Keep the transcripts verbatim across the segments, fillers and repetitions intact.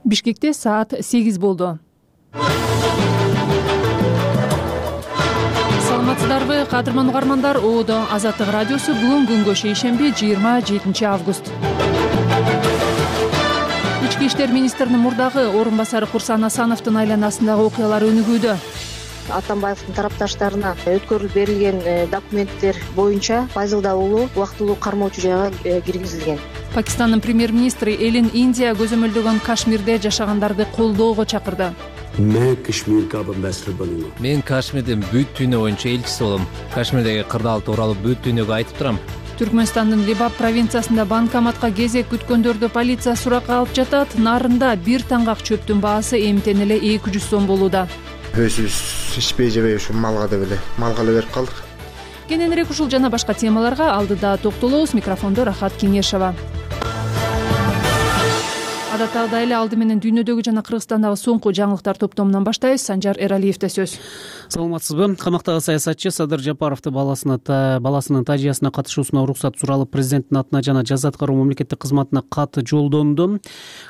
Бишкекте саат сегиз болду. Саламатсыздарбы, кадырман угармандар? Оодо Азаттык радиосу бүгүн күнгө шейшемби жыйырма жетинчи август. Ички иштер министринин мурдагы орун басары Курсан Асановдун айланасындагы окуялар өнүгүүдө. Атамбаевдин тарапташтарына өткөрүлүп берилген документтер боюнча Файзылда уулу убактылуу кармоочу жайга киргизилген. Пакистандын премьер-министри Элин Индия көзөмөлдөгөн Кашмирде жашагандарды колдоого чакырды. Мен Кашмирдин бүт дүйнө боюнча элчиси болом. Кашмирдеги кырдаал тууралуу бүт дүйнөгө айтып турам. Түркмөнстандын Либаб провинциясында банкоматка кезек күткөндөрдү полиция суракка алып жатат. Нарында бир таңгак чөптүн баасы эмтен эле эки жүз сом болууда. Өзүбүз ичпей жебей ушу малга деп эле малга эле берип калдык. Кененирээк ушул жана башка темаларга алдыда токтолобуз. Микрофондо Рахат Кеңешова. Адаттагыдай эле алды менен дүйнөдөгү жана Кыргызстандагы соңку жаңылыктар топтомунан баштайбыз. Санжар Эралиевде сөз. Саламатсызбы? Камактагы саясатчы Садыр Жапаровду баласынын тажыясына катышуусуна уруксат суралып, президенттин атына жана жаза аткаруу мамлекеттик кызматына кат жолдонду.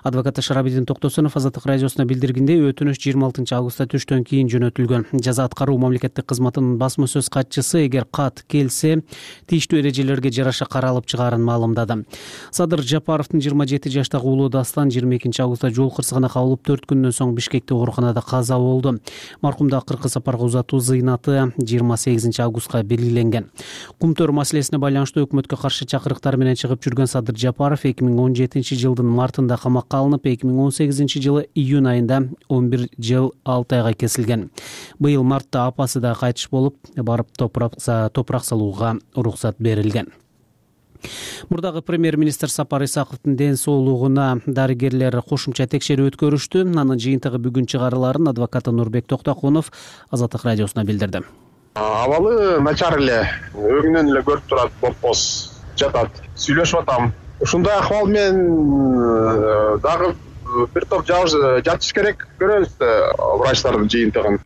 Адвокат Шарабидин Токтосунов Азаттык радиосуна билдиргендей, өтүнүш жыйырма алтынчы августта түштөн кийин жөнөтүлгөн. Жаза аткаруу мамлекеттик кызматынын басма сөз катчысы эгер кат келсе, тийиштүү эрежелерге жараша каралып чыгаарын маалымдады. Садыр Жапаровдун жыйырма жети жаштагы уулу Дастан жыйырма экинчи августта жол кырсыгына кабылып, төрт күндөн соң Бишкекте ооруканада каза болду. Маркумду акыркы сапарга узатуу зыйнаты жыйырма сегизинчи августка белгиленген. Кумтөр маселесине байланыштуу өкмөткө каршы чакырыктар менен чыгып жүргөн Садыр Жапаров эки миң он жетинчи жылдын мартында камакка алынып, эки миң он сегизинчи жылы июнь айында он бир жыл алты айга кесилген. Быйыл мартта апасы да кайтыш болуп, барып топурак салууга уруксат берилген. Мурдагы премьер-министр Сапар Исаковдун ден соолугуна дарыгерлер кошумча текшерүү өткөрүштү. Анын жыйынтыгы бүгүн чыгарыларын адвокаты Нурбек Токтокунов Азаттык радиосуна билдирди. Абалы начар эле, өңүнөн эле көрүп турат, бопбоз жатат. Сүйлөшүп атам. Ушундай акыбал менен дагы бир топ жатыш керек, көрөбүз врачтардын жыйынтыгын.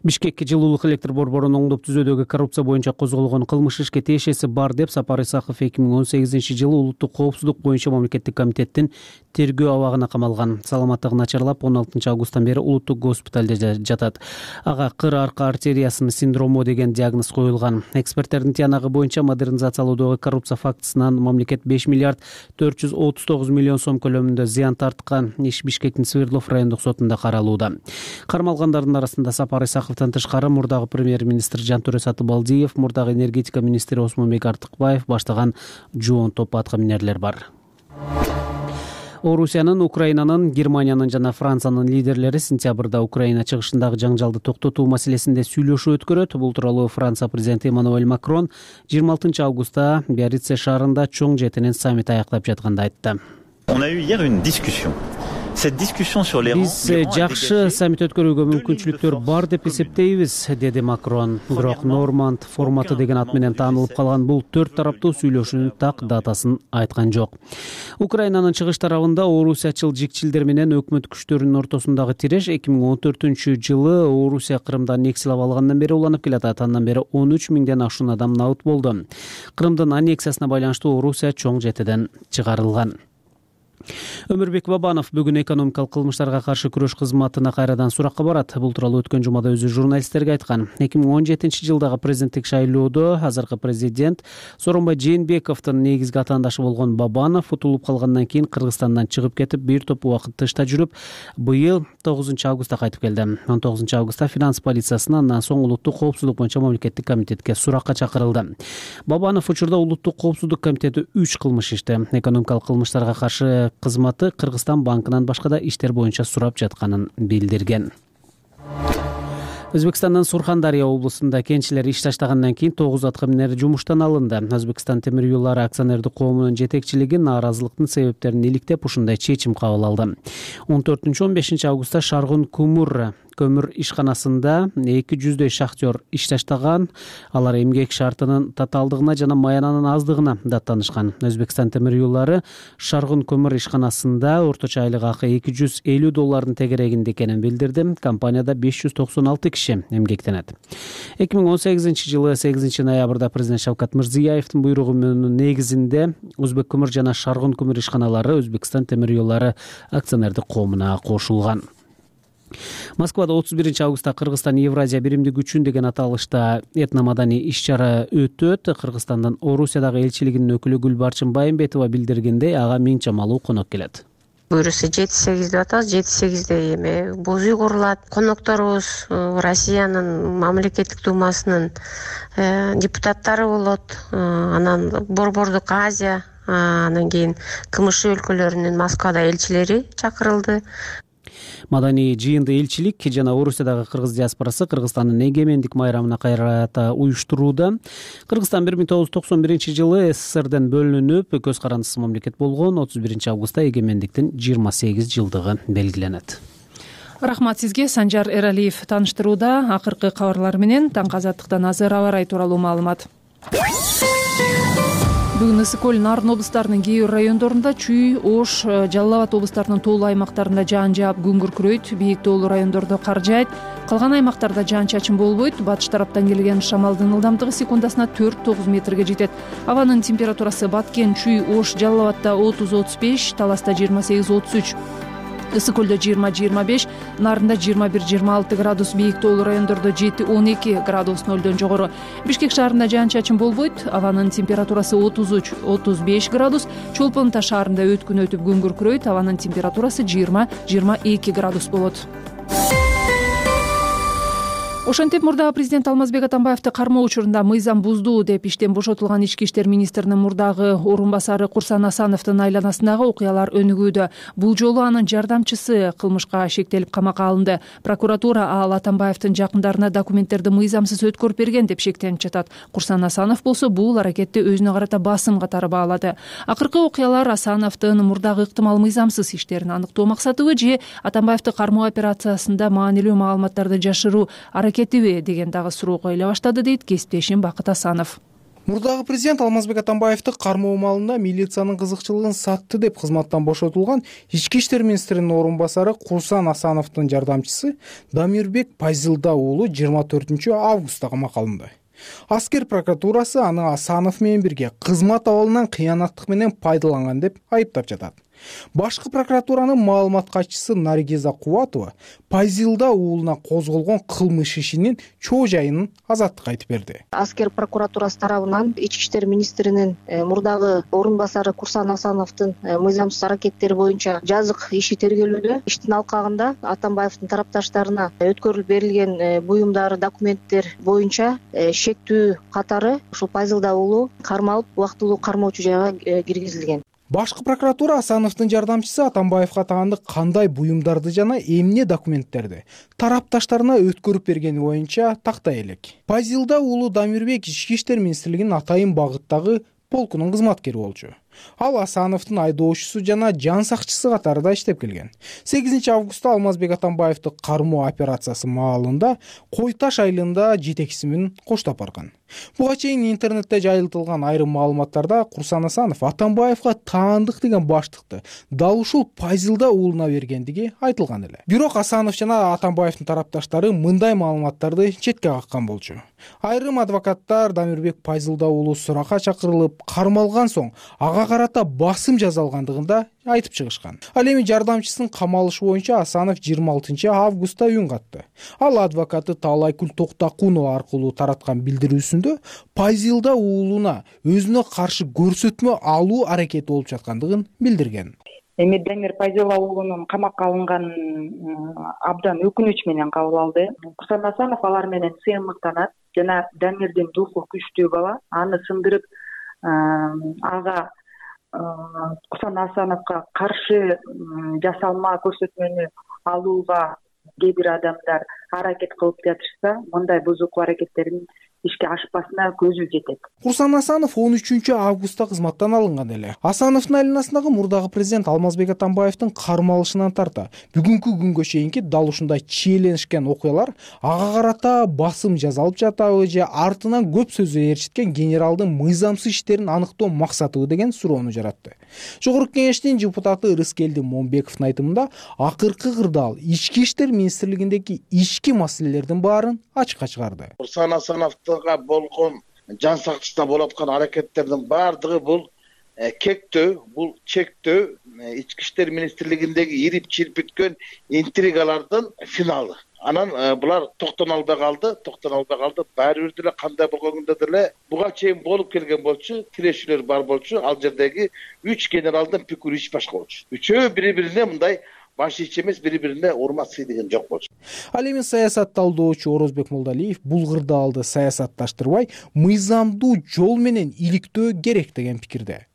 Бишкекке жылуулук электр борборун оңдоп түзүүдөгү коррупция боюнча козголгон кылмыш ишке тиешеси бар деп Сапар Исаков эки миң он сегизинчи жылы улуттук коопсуздук боюнча мамлекеттик комитеттин тергөө абагына камалган. Саламаттыгы начарлап, он алтынчы августтан бери улуттук госпиталде жатат. Ага кыр арка артериясынын синдрому деген диагноз коюлган. Эксперттердин тыянагы боюнча модернизациялоодогу коррупция фактысынан мамлекет беш миллиард төрт жүз отуз тогуз миллион сом көлөмүндө зыян тарткан. Иш Бишкектин Свердлов райондук сотунда каралууда. Кармалгандардын арасында Сапар Исаковдон тышкары мурдагы премьер-министр Жантөре Сатыбалдиев, мурдагы энергетика министри Осмонбек Артыкбаев баштаган жоон топ атка минерлер бар. Орусиянын, Украинанын, Германиянын жана Франциянын лидерлери сентябрда Украина чыгышындагы жаңжалды токтотуу маселесинде сүйлөшүү өткөрөт. Бул тууралуу Франция президенти Эммануэль Макрон жыйырма алтынчы августта Биаррице шаарында чоң жетинен саммит аяктап жатканда айтты. Биз жакшы саммит өткөрүүгө мүмкүнчүлүктөр бар деп эсептейбиз, деди Макрон. Бирок Норманд форматы деген ат менен таанылып калган бул төрт тараптуу сүйлөшүүнүн так датасын айткан жок. Украинанын чыгыш тарабында орусиячыл жикчилдер менен өкмөт күчтөрүнүн ортосундагы тиреш эки миң он төртүнчү жылы Орусия Крымдан нексиялап алгандан бери уланып келатат. Андан бери он үч миңден ашуун адам набыт болду. Крымдын аннексиясына байланыштуу Орусия чоң жетиден чыгарылган. Өмүрбек Бабанов бүгүн экономикалык кылмыштарга каршы күрөш кызматына кайрадан суракка барат. Бул тууралуу өткөн жумада өзү журналисттерге айткан. эки миң он жетинчи жылдагы президенттик шайлоодо азыркы президент Сооронбай Жээнбековдун негизги атаандашы болгон Бабанов утулуп калгандан кийин Кыргызстандан чыгып кетип, бир топ убакыт тышта жүрүп, быйыл тогузунчу августта кайтып келди. он тогузунчу августта финанс полициясына, андан соң улуттук коопсуздук боюнча мамлекеттик комитетке суракка чакырылды. Бабанов учурда улуттук коопсуздук комитети үч кылмыш ишти. Экономикалык кылмыштарга каршы кызматы Кыргызстан банкынан башка да иштер боюнча сурап жатканын билдирген. Өзбекстандын Сурхандария облусунда кенчилер иш таштагандан кийин тогуз атка минер жумуштан алынды. Өзбекстан темир юллары акционердик коомунун жетекчилиги нааразылыктын себептерин иликтеп ушундай чечим кабыл алды. он төртүнчү он бешинчи августта Шаргун Кумур көмүр ишканасында эки жүздөй шахтер ишташтаган. Алар эмгек шартынын татаалдыгына жана маянанын аздыгына даттанышкан. Өзбекстан темир юллары Шаргын көмүр ишканасында орточо айлык акы эки жүз элүү доллардын тегерегинде экенин билдирди. Компанияда беш жүз токсон алты киши эмгектенет. эки миң он сегизинчи жылы сегизинчи ноябрда президент Шавкат Мирзиёевдин буйругунун негизинде Өзбек көмүр жана Шаргын көмүр ишканалары Өзбекстан темир юллары акционердик коомуна кошулган. Москвада отуз биринчи августта Кыргызстан Евразия биримдик үчүн деген аталышта этномаданий иш-чара өтөт. Кыргызстандын Орусиядагы элчилигинин өкүлү Гүлбарчын Байымбетова билдиргендей, ага миң чамалуу конок келет. Буюрса жети сегиз деп атабыз. жети сегизде эме боз үй курулат. Конокторубуз Россиянын мамлекеттик думасынын депутаттары болот. Анан Борбордук Азия, анан кийин КМШ өлкөлөрүнүн Москвада элчилери чакырылды. Маданий жыйынды элчилик жана Орусиядагы кыргыз диаспорасы Кыргызстандын эгемендик майрамына кайрата уюштурууда. Кыргызстан бир миң тогуз жүз токсон биринчи жылы СССРден бөлүнүп, көз карандысыз мамлекет болгон. отуз биринчи августта эгемендиктин жыйырма сегиз жылдыгы белгиленет. Рахмат сизге. Санжар Эралиев тааныштырууда. Акыркы кабарлар менен таңкы азаттыктан азыр аба ырайы тууралуу маалымат. Бүгүн ысык көл, Нарын облустарынын кээ бир райондорунда Чүй, Ош, Жалал Абад облустарынын тоолуу аймактарында жаан жаап күн күркүрөйт. Бийик тоолуу райондордо кар жаайт. Калган аймактарда жаан-чачын болбойт. Батыш тараптан келген шамалдын ылдамдыгы секундасына төрт тогуз метрге жетет. Абанын температурасы Баткен, Чүй, Ош, Жалал Абадта отуз отуз беш, Таласта жыйырма сегиз отуз үч, ысык көлдө жыйырма жыйырма беш, Нарында жыйырма бир жыйырма алты градус, бийик тоолуу райондордо жети он эки градус нөлдөн жогору. Бишкек шаарында жаан-чачын болбойт. Абанын температурасы отуз үч отуз беш градус. Чолпон Таш шаарында өткүн өтүп күн күркүрөйт. Абанын температурасы жыйырма жыйырма эки градус болот. Ошентип мурдагы президент Алмазбек Атамбаевди кармоо учурунда мыйзам бузду деп иштен бошотулган ички иштер министринин мурдагы орун басары Курсан Асановдун айланасындагы окуялар өнүгүүдө. Бул жолу анын жардамчысы кылмышка шектелип камакка алынды. Прокуратура ал Атамбаевдин жакындарына документтерди мыйзамсыз өткөрүп берген деп шектенип жатат. Курсан Асанов болсо бул аракетти өзүнө карата басым катары баалады. Акыркы окуялар Асановдун мурдагы ыктымал мыйзамсыз иштерин аныктоо максатыбы же Атамбаевди кармоо операциясында маанилүү маалыматтарды жашыруу кетиби деген дагы суроо коюла баштады, дейт кесиптешим Бакыт Асанов. Мурдагы президент Алмазбек Атамбаевди кармоо маалында милициянын кызыкчылыгын сатты деп кызматтан бошотулган ички иштер министринин орун басары Курсан Асановдун жардамчысы Дамирбек Пайзылда уулу жыйырма төртүнчү августта камакка алынды. Аскер прокуратурасы аны Асанов менен бирге кызмат абалынан кыянаттык менен пайдаланган деп айыптап жатат. Башкы прокуратуранын маалымат катчысы Наргиза Кубатова Пайзилда уулуна козголгон кылмыш ишинин чоо жайын азаттыкка айтып берди. Аскер прокуратурасы тарабынан ички иштер министринин мурдагы орун басары Курсан Асановдун мыйзамсыз аракеттери боюнча жазык иши тергелүүдө. Иштин алкагында Атамбаевдин тарапташтарына өткөрүлүп берилген буюмдар, документтер боюнча шектүү катары ушул Пайзилда уулу кармалып, убактылуу кармоочу жайга киргизилген. Башкы прокуратура Асановдун жардамчысы Атамбаевга таандык кандай буюмдарды жана эмне документтерди тарапташтарына өткөрүп бергени боюнча тактай элек. Пайзилда уулу Дамирбек ички иштер министрлигинин Атайын багыттагы полкунун кызматкери болчу. Ал Асановдун айдоочусу жана жан сакчысы катарында иштеп келген. сегизинчи августта Алмазбек Атамбаевди кармоо операциясы маалында Кой Таш айылында жетекчиси менен коштоп барган. Буга чейин интернетте жайылтылган айрым маалыматтарда Курсан Асанов Атамбаевга таандык деген баштыкты дал ушул Пайзилда уулуна бергендиги айтылган эле. Бирок Асанов жана Атамбаевдин тарапташтары мындай маалыматтарды четке каккан болчу. Айрым адвокаттар Дамирбек Пайзилда уулу суракка чакырылып, кармалган соң ага карата басым жазалгандыгында айтып чыгышкан. Ал эми жардамчысынын камалышы боюнча Асанов жыйырма алтынчы августта үн катты. Ал адвокаты Таалайкүл Токтакунова аркылуу тараткан билдирүүсүндө Пайзилда уулуна өзүнө каршы көрсөтмө алуу аракети болуп жаткандыгын билдирген. Эми Дамир Пайзилда уулунун камакка алынганын абдан өкүнүч менен кабыл алды. Курсан Асанов алар менен сыймыктанат жана Дамирдин духу күчтүү бала, аны сындырып ага Курсан Асановго каршы жасалма көрсөтмөнү алууга кээ бир адамдар аракет кылып жатышса, мындай бузуку аракеттерин ишке ашпасына көзү жетет. Курсан Асанов он үчүнчү августта кызматтан алынган эле. Асановдун айланасындагы мурдагы президент Алмазбек Атамбаевдин кармалышынан тарта бүгүнкү күнгө чейинки дал ушундай чиеленишкен окуялар ага карата басым жасалып жатабы же артынан көп сөзү ээрчиткен генералдын мыйзамсыз иштерин аныктоо максатыбы деген суроону жаратты. Жогорку кеңештин депутаты Рыскелди Момбековдун айтымында акыркы кырдаал ички иштер министрлигиндеги ички маселелердин баарын ачыкка чыгарды. Курсан Асановго болгон жан сактышта болуп аткан аракеттердин баардыгы бул кектөө, бул чектөө, ички иштер министрлигиндеги ирип чирпиткөн интригалардын финалы. Анан булар токтоно албай калды, токтоно албай калды. Баары бир деле кандай болгондо деле буга чейин болуп келген болчу, тирешүүлөр бар болчу. Ал жердеги үч генералдын пикири иш башка болчу. Үчөө бири-бирине мындай баш ич эмес, бири-бирине урмат сыйдыган жок болчу. Ал эми саясат талдоочу Орозбек Молдалиев бул кырдаалды саясатташтырбай, мыйзамдуу жол менен иликтөө керек деген пикирде.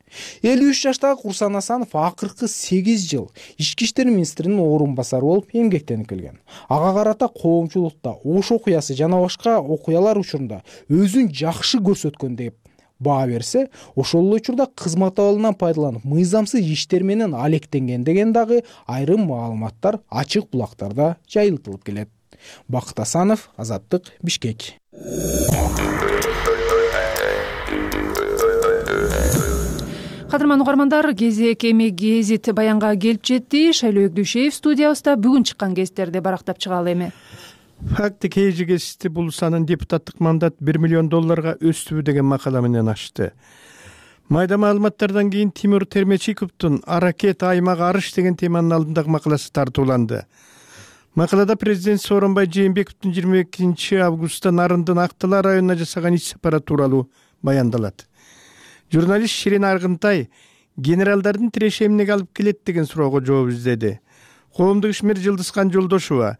элүү үч жаштагы Курсан Асанов акыркы сегиз жыл ички иштер министринин орун басары болуп эмгектенип келген. Ага карата коомчулукта Ош окуясы жана башка окуялар учурунда өзүн жакшы көрсөткөн деп баа берсе, ошол эле учурда кызмат абалынан пайдаланып мыйзамсыз иштер менен алектенген деген дагы айрым маалыматтар ачык булактарда жайылтылып келет. Бакыт Асанов, Азаттык, Бишкек. Кадырман угармандар, кезек эми гезит баянга келип жетти. Шайлоо Өгдүшеев студиябызда. Бүгүн чыккан гезиттерди барактап чыгалы эми. Факты кейжи гезити Булусанын депутаттык мандат бир миллион долларга өстүбү деген макала менен ачты. Майда маалыматтардан кийин Тимур Термечиковдун «Аракет аймак арыш» деген теманын алдындагы макаласы тартууланды. Макалада президент Сооронбай Жээнбековдун жыйырма экинчи августта Нарындын Актала районуна жасаган иш сапары тууралуу баяндалат. Журналист Ширин Аргынтай генералдардын тиреши эмнеге алып келет деген суроого жооп издеди. Коомдук ишмер Жылдызкан Жолдошова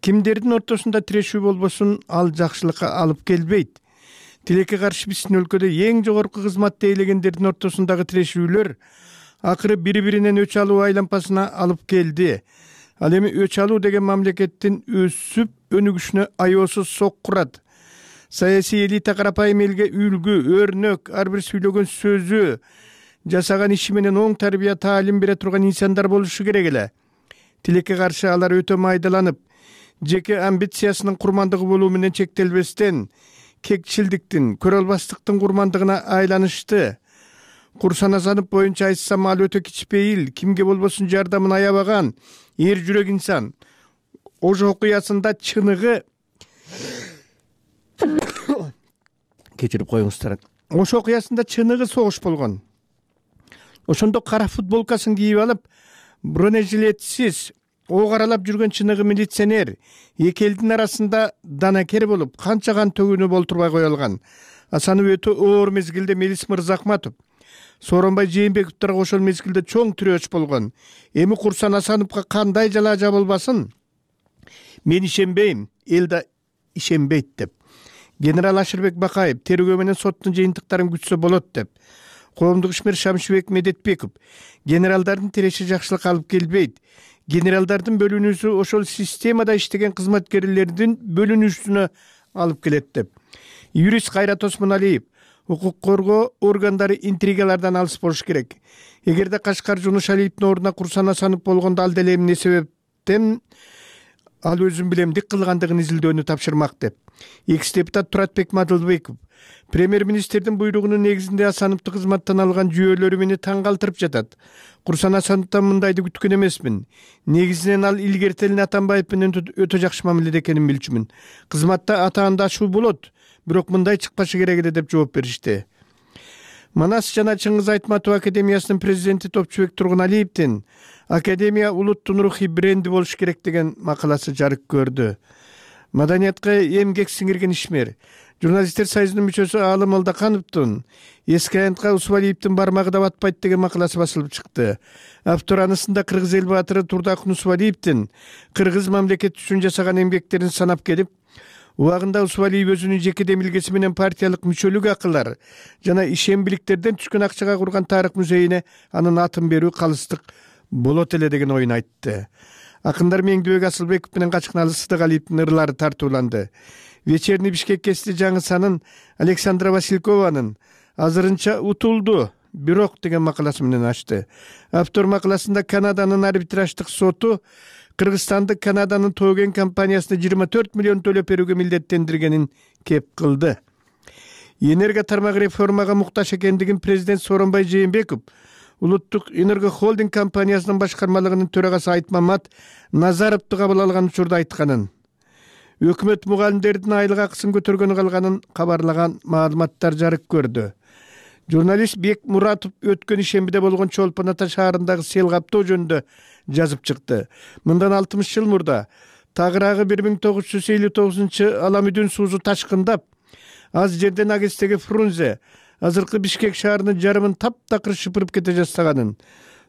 кимдердин ортосунда тирешүү болбосун ал жакшылыкка алып келбейт. Тилекке каршы биздин өлкөдө эң жогорку кызматты ээлегендердин ортосундагы тирешүүлөр акыры бири-биринен өч алуу айлампасына алып келди. Ал эми өч алуу деген мамлекеттин өсүп өнүгүшүнө аеосуз соккурат. Саясий элита карапайым элге үлгү, өрнөк, ар бир сүйлөгөн сөзү, жасаган иши менен оң тарбия таалим бере турган инсандар болушу керек эле. Тилекке каршы алар өтө майдаланып, жеке амбициясынын курмандыгы болуу менен чектелбестен, кекчилдиктин, көрө албастыктын курмандыгына айланышты. Курсан Асанов боюнча айтсам, ал өтө кичпейил, кимге болбосун жардамын аябаган, эр жүрөк инсан. Ош окуясында чыныгы кечирип коюңуздар. Ош окуясында чыныгы согуш болгон. Ошондо кара футболкасын кийип алып, бронежилетсиз ок аралап жүргөн чыныгы милиционер эки элдин арасында данакер болуп, канча кан төгүнүп олтурбай кое алган. Асанов өтө оор мезгилде Мелис Мырзахматов, Сооронбай Жээнбековдорго ошол мезгилде чоң тирөөч болгон. Эми Курсан Асановго кандай жалаа болбасын? Мен ишенбейм, эл да ишенбейт деп. Генерал Ашырбек Бакаев тергөө менен соттун жыйынтыктарын күтсө болот деп. Коомдук ишмер Шамшыбек Медетбеков генералдардын тиреши жакшылыкка алып келбейт. Генералдардын бөлүнүүсү ошол системада иштеген кызматкерлердин бөлүнүүсүнө алып келет деп. Юрист Кайрат Осмоналиев укук коргоо органдары интригалардан алыс болуш керек. Эгерде Кашкар Жунуш Алиевдин ордуна Курсан Асанов болгондо ал деле эмне себептен ал өзүн билемдик кылгандыгын изилдөөнү тапшырмак деп. Экс депутат Туратбек Мадылбеков премьер-министрдин буйругунун негизинде Асановду кызматтан алган жүйөлөрү мени таң калтырып жатат. Курсан Асановдон мындайды күткөн эмесмин. Негизинен ал илгертелин Атамбаев менен өтө жакшы мамиледе экенин билчүмүн. Кызматта атаандашуу болот, бирок мындай чыкпашы керек эле деп жооп беришти. Манас жана Чыңгыз Айтматов академиясынын президенти Топчубек Тургуналиевдин академия улуттун рухий бренди болуш керек деген макаласы жарык көрдү. Маданиятка эмгек сиңирген ишмер, журналисттер союзунун мүчөсү Аалы Молдокановдун эски аянтка Усвалиевдин бармагы да батпайт деген макаласы басылып чыкты. Автор анысында кыргыз эл баатыры Турдакун Усвалиевдин кыргыз мамлекети үчүн жасаган эмгектерин санап келип, убагында Усвалиев өзүнүн жеке демилгеси менен партиялык мүчөлүк акылар жана ишембиликтерден түшкөн акчага курган тарых музейине анын атын берүү калыстык болот эле деген оюн айтты. Акындар Меңдибек Асылбеков менен Качкыналы Сыдыгалиевдин ырлары тартууланды. Вечерний Бишкек гезити жаңы санын Александра Василькованын азырынча утулду, бирок деген макаласы менен ачты. Автор макаласында Канаданын арбитраждык соту Кыргызстанды Канаданын Тоген компаниясына жыйырма төрт миллион төлөп берүүгө милдеттендиргенин кеп кылды. Энерго тармагы реформага муктаж экендигин президент Сооронбай Жээнбеков Улуттук Энерго холдинг компаниясынын башкармалыгынын төрагасы Айтмамат Назаровду кабыл алган учурда айтканын, өкмөт мугалимдердин айлык акысын көтөргөнү калганын кабарлаган маалыматтар жарык көрдү. Журналист Бек Муратов өткөн ишембиде болгон Чолпон Ата шаарындагы сел каптоо жөнүндө жазып чыкты. Мындан алтымыш жыл мурда тагыраагы бир миң тогуз жүз элүү тогузунчу Аламүдүн суузу ташкындап, аз жерден Агестеги Фрунзе азыркы Бишкек шаарынын жарымын таптакыр шыпырып кете жаздаганын,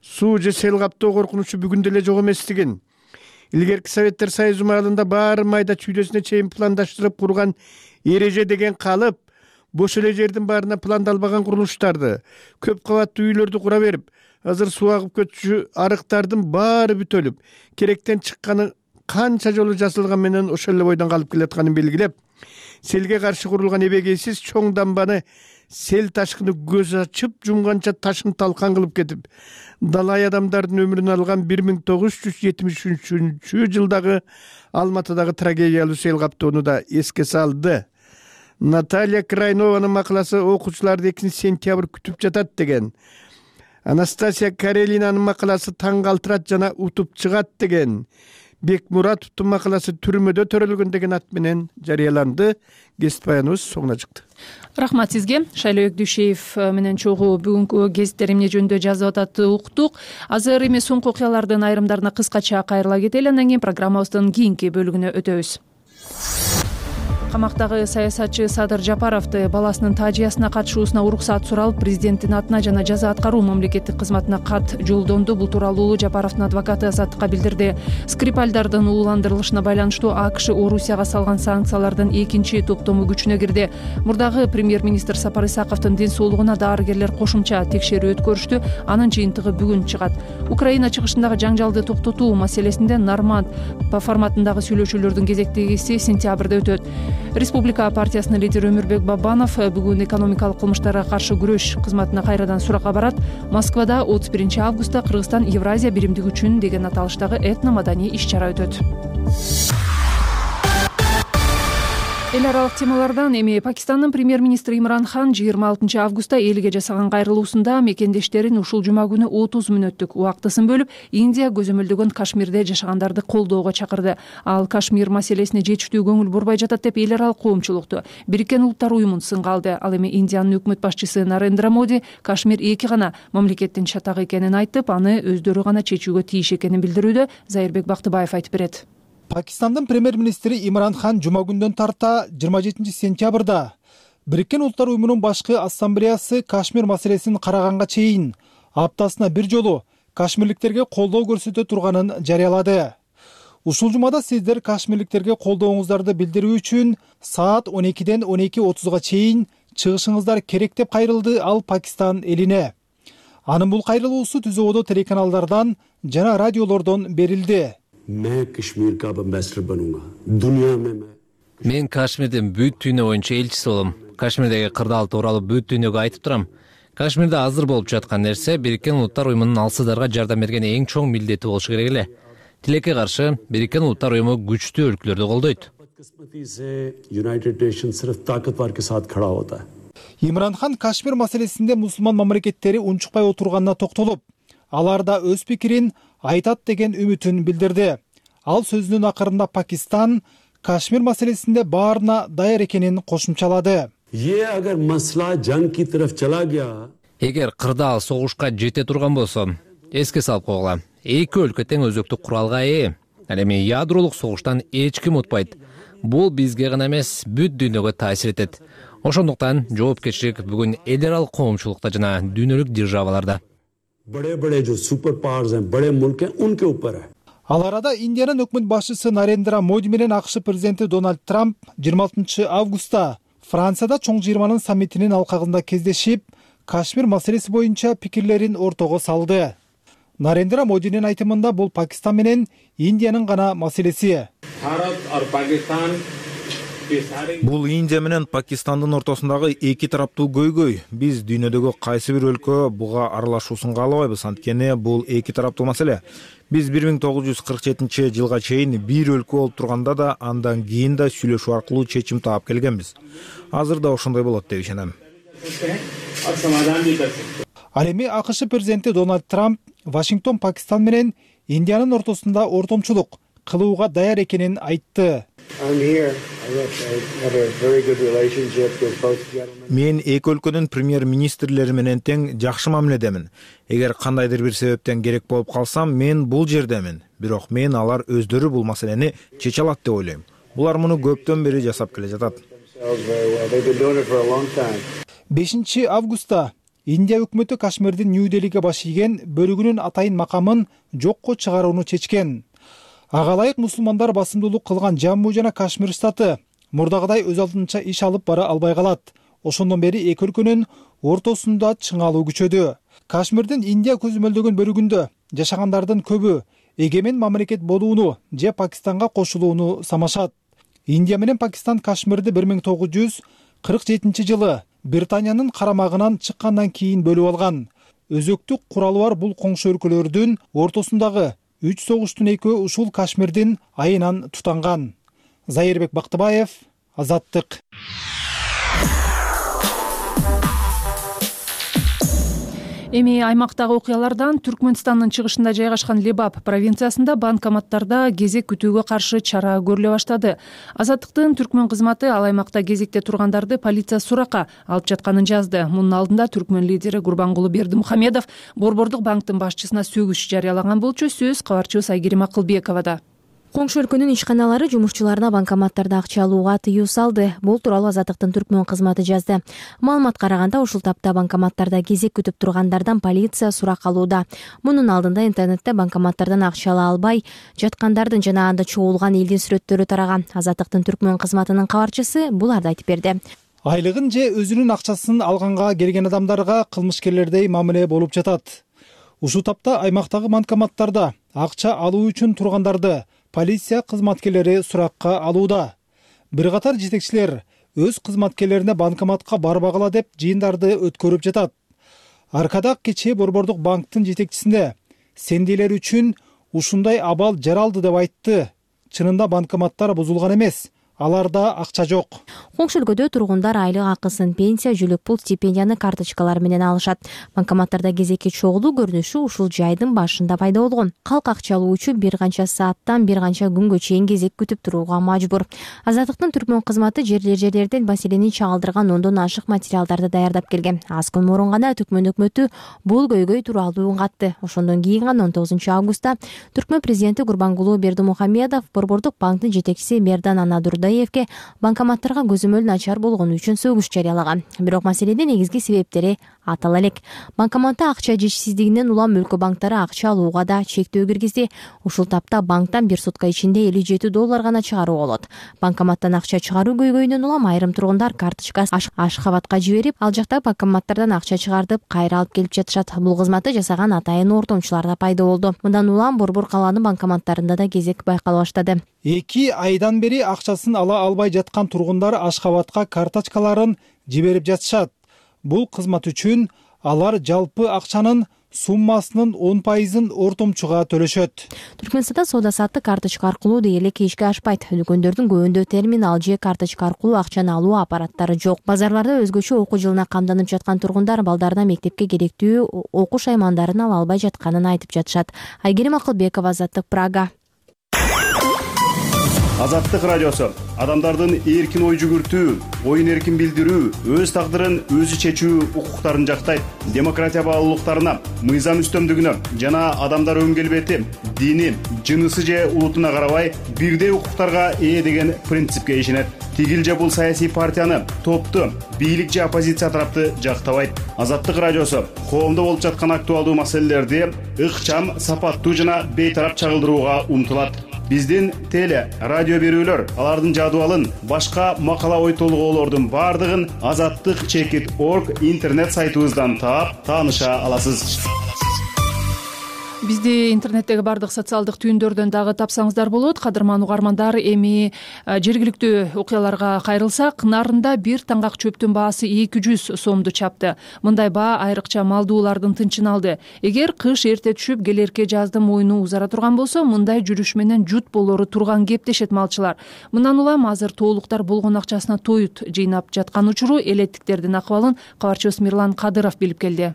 суу же сел каптоо коркунучу бүгүн деле жок эместигин, илгерки Советтер Союзу маалында баары майда чүйдөсүнө чейин пландаштырып курган эреже деген калып, бош эле жердин баарына пландалбаган курулуштарды, көп кабаттуу үйлөрдү кура берип, азыр суу агып көтчү арыктардын баары бүтөлүп, керектен чыкканы канча жолу жасалган менен ошол эле бойдон калып келатканын белгилеп, селге каршы курулган эбегейсиз чоң дамбаны сел ташкыны көз ачып жумганча ташын талкан кылып кетип, далай адамдардын өмүрүн алган бир миң тогуз жүз жетимиш үчүнчү жылдагы Алматыдагы трагедиялуу сел каптоону да эске салды. Наталья Крайнованын макаласы окуучуларды экинчи сентябрь күтүп жатат деген. Анастасия Карелинанын макаласы таң калтырат жана утуп чыгат деген. Бек Муратовдун макаласы түрмөдө төрөлгөн деген ат менен жарыяланды. Гезит баяныбыз соңуна чыкты. Рахмат сизге. Шайлоо Дүйшеев менен чогуу бүгүнкү гезиттер эмне жөнүндө жазып атат уктук. Азыр эми соңку окуялардын айрымдарына кыскача кайрыла кетели, андан кийин программабыздын кийинки бөлүгүнө өтөбүз. Камактагы саясатчы Садыр Жапаровду баласынын таажиясына катышуусуна уруксат суралып, президенттин атына жана жаза аткаруу мамлекеттик кызматына кат жолдонду. Бул тууралуу Жапаровдун адвокаты Азаттыкка билдирди. Скрипальдардын ууландырылышына байланыштуу АКШ Орусияга салган санкциялардын экинчи топтому күчүнө кирди. Мурдагы премьер-министр Сапар Исаковдун ден соолугуна дарыгерлер кошумча текшерүү өткөрүштү. Анын жыйынтыгы бүгүн чыгат. Украина чыгышындагы жаңжалды токтотуу маселесинде Норманд форматындагы сүйлөшүүлөрдүн кезектегиси сентябрда өтөт. Республика партиясынын лидери Өмүрбек Бабанов бүгүн экономикалык кылмыштарга каршы күрөш кызматына кайрадан суракка барат. Москвада отуз биринчи августта Кыргызстан Евразия биримдиги үчүн деген аталыштагы этно-маданий иш-чара өтөт. Эл аралык темалардан эми Пакистандын премьер-министри Имран Хан жыйырма алтынчы августта элге жасаган кайрылуусунда мекендештерин ушул жума күнү отуз мүнөттүк убактысын бөлүп, Индия көзөмөлдөгөн Кашмирде жашагандарды колдоого чакырды. Ал Кашмир маселесине жетиштүү көңүл бурбай жатат деп эл аралык коомчулукту Бириккен Улуттар уюмун сынга алды. Ал эми Индиянын өкмөт башчысы Нарендра Моди Кашмир эки гана мамлекеттин чатагы экенин айтып, аны өздөрү гана чечүүгө тийиш экенин билдирүүдө. Зайырбек Бактыбаев айтып берет. Пакистандын премьер-министри Имран Хан жума күндөн тарта жыйырма жетинчи сентябрда Бириккен Улуттар уюмунун башкы ассамблеясы Кашмир маселесин караганга чейин аптасына бир жолу кашмирликтерге колдоо көрсөтө турганын жарыялады. Ушул жумада сиздер кашмирликтерге колдооңуздарды билдирүү үчүн саат он экиден он эки отузга чейин чыгышыңыздар керек деп кайрылды ал Пакистан элине. Анын бул кайрылуусу Түзүү Одо телеканалдардан жана радиолордон берилди. Мен Кашмирдин бүт дүйнө боюнча элчиси болом. Кашмирдеги кырдаал тууралуу бүт дүйнөгө айтып турам. Кашмирде азыр болуп жаткан нерсе Бириккен Улуттар уюмунун алсыздарга жардам берген эң чоң милдети болушу керек эле. Тилекке каршы Бириккен Улуттар уюму күчтүү өлкөлөрдү колдойт. Имран Хан Кашмир маселесинде мусулман мамлекеттери унчукпай отурганына токтолуп, алар да өз пикирин айтат деген үмүтүн билдирди. Ал сөзүнүн акырында Пакистан Кашмир маселесинде баарына даяр экенин кошумчалады. Эгер кырдаал согушка жете турган болсо, эске салып койгула. Эки өлкө тең өзөктүк куралга ээ. Ал эми ядролук согуштан эч ким утпайт. Бул бизге гана эмес, бүт дүйнөгө таасир этет. Ошондуктан жоопкерчилик бүгүн эл аралык коомчулукта жана дүйнөлүк державаларда. बड़े-बड़े जो super powers हैं, बड़े मुल्क हैं, उनके ऊपर है. Ал арада Индиянын өкмөт башчысы Нарендра Моди менен АКШ президенти Дональд Трамп жыйырма алтынчы августта Францияда чоң жыйырманын саммитинин алкагында кездешип, Кашмир маселеси боюнча пикирлерин ортого салды. Нарендра Модинин айтымында бул Пакистан менен Индиянын гана маселеси. Bharat और पाकिस्तान Бул Индия менен Пакистандын ортосундагы эки тараптуу көйгөй. Биз дүйнөдөгү кайсы бир өлкө буга аралашуусун каалабайбыз, анткени бул эки тараптуу маселе. Биз бир миң тогуз жүз кырк жетинчи жылга чейин бир өлкө болуп турганда да, андан кийин да сүйлөшүү аркылуу чечим таап келгенбиз. Азыр да ошондой болот деп ишенем. Ал эми АКШ президенти Дональд Трамп Вашингтон Пакистан менен Индиянын ортосунда ортомчулук кылууга даяр экенин айтты. Мен эки өлкөнүн премьер-министрлери менен тең жакшы мамиледемин. Эгер кандайдыр бир себептен керек болуп калсам, мен бул жердемин. Бирок мен алар өздөрү бул маселени чече алат деп ойлойм. Булар муну көптөн бери жасап келе жатат. бешинчи августта Индия өкмөтү Кашмирдин Нью-Делиге баш ийген бөлүгүнүн атайын макамын жокко чыгарууну чечкен. Ага ылайык мусулмандар басымдуулук кылган Жамму жана Кашмир штаты мурдагыдай өз алдынча иш алып бара албай калат. Ошондон бери эки өлкөнүн ортосунда чыңалуу күчөдү. Кашмирдин Индия көзөмөлдөгөн бөлүгүндө жашагандардын көбү эгемен мамлекет болууну же Пакистанга кошулууну самашат. Индия менен Пакистан Кашмирди бир миң тогуз жүз кырк жетинчи жылы Британиянын карамагынан чыккандан кийин бөлүп алган. Өзөктүк куралы бар бул коңшу өлкөлөрдүн ортосундагы үч согуштун экөө ушул Кашмирдин айынан тутанган. Зайырбек Бактыбаев, Азаттык. Эми аймактагы окуялардан Түркмөнстандын чыгышында жайгашкан Лебап провинциясында банкоматтарда кезек күтүүгө каршы чара көрүлө баштады. Азаттыктын Түркмөн кызматы ал аймакта кезекте тургандарды полиция суракка алып жатканын жазды. Мунун алдында Түркмөн лидери Гурбангулы Бердимухамедов Борбордук банктын башчысына сөгүш жарыялаган болчу. Сөз кабарчыбыз Айгерим Акылбековада. Коңшу өлкөнүн ишканалары жумушчуларына банкоматтарда акча алууга тыюу салды. Бул тууралуу Азаттыктын Түркмөн кызматы жазды. Маалымат караганда, ушул тапта банкоматтарда кезек күтүп тургандардан полиция сурак алууда. Мунун алдында интернетте банкоматтардан акча ала албай жаткандардын жана анда чогулган элдин сүрөттөрү тараган. Азаттыктын Түркмөн кызматынын кабарчысы буларды айтып берди. Айлыгын же өзүнүн акчасын алганга келген адамдарга кылмышкерлердей мамиле болуп жатат. Ушул тапта аймактагы банкоматтарда акча алуу үчүн тургандарды полиция кызматкерлери суракка алууда. Бир катар жетекчилер өз кызматкерлерине банкоматка барбагыла деп жыйындарды өткөрүп жатат. Аркада кечээ Борбордук банктын жетекчисине сендейлер үчүн ушундай абал жаралды деп айтты. Чынында банкоматтар бузулган эмес. Аларда акча жок. Коңшу өлкөдө тургундар айлык акысын, пенсия, жүлөк пул, стипендияны карточкалар менен алышат. Банкоматтарда кезекке чогулуу көрүнүшү ушул жайдын башында пайда болгон. Калк акча алуу үчүн бир канча сааттан бир канча күнгө чейин кезек күтүп турууга мажбур. Азаттыктын Түркмөн кызматы жерлер жерлерден маселени чагылдырган ондон ашык материалдарды даярдап келген. Аз күн мурун гана Түркмөн өкмөтү бул көйгөй тууралуу үн катты. Ошондон кийин гана он тогузунчу августта Түркмөн президенти Гурбангулы Бердимухамедов Борбордук банктын жетекчиси Мердан Анадурдай банкоматтарга көзөмөл начар болгону үчүн сөгүш жарыялаган. Бирок маселенин негизги себептери атала элек. Банкоматта акча жетишсиздигинен улам өлкө банктары акча алууга да чектөө киргизди. Ушул тапта банктан бир сутка ичинде элүү жети доллар гана чыгаруу болот. Банкоматтан акча чыгаруу көйгөйүнөн улам айрым тургундар карточкасын Ашхабадка жиберип, ал жакта банкоматтардан акча чыгартып, кайра алып келип жатышат. Бул кызматты жасаган атайын ортомчулар да пайда болду. Мындан улам Борбор калаанын банкоматтарында да кезек байкала баштады. Эки айдан бери акчасын ала албай жаткан тургундар Ашхабадка карточкаларын жиберип жатышат. Бул кызмат үчүн алар жалпы акчанын суммасынын он пайызын ортомчуга төлөшөт. Түркмөнстанда соода саттык карточка аркылуу дээрлик ишке ашпайт. Дүкөндөрдүн көбүндө терминал же карточка аркылуу акчаны алуу аппараттары жок. Базарларда өзгөчө окуу жылына камданып жаткан тургундар балдарына мектепке керектүү окуш аймандарын ала албай жатканын айтып жатышат. Айгерим Акылбекова, Азаттык, Прага. Азаттык радиосу адамдардын эркин ой жүгүртүү, оюн эркин билдирүү, өз тагдырын өзү чечүү укуктарын жактайт. Демократия баалуулуктарына, мыйзам үстөмдүгүнө жана адамдар өн келбети, дини, жынысы же улутуна карабай бирдей укуктарга ээ деген принципке ишенет. Тигил же бул саясий партияны, топту, бийлик же оппозиция тарапты жактабайт. Азаттык радиосу коомдо болуп жаткан актуалдуу маселелерди ыкчам, сапаттуу жана бейтарап чагылдырууга умтулат. Биздин теле, радио берүүлөр, алардын жадыбалын, башка макала ой толгоолордун бардыгын азаттык чекит точка орг интернет сайтыбыздан таап, тааныша аласыз. Бизди интернеттеги бардык социалдык түйүндөрдөн дагы тапсаңыздар болот. Кадырман угармандар, эми жергиликтүү окуяларга кайрылсак, Нарында бир таңгак чөптүн баасы эки жүз сомду чапты. Мындай баа айрыкча малдуулардын тынчын алды. Эгер кыш эрте түшүп, келерки жазды мойну узара турган болсо, мындай жүрүш менен жут болору турган кеп дешет малчылар. Мындан улам азыр тоолуктар болгон акчасына тоют жыйнап жаткан учуру элеттиктердин акыбалын кабарчыбыз Мирлан Кадыров билип келди.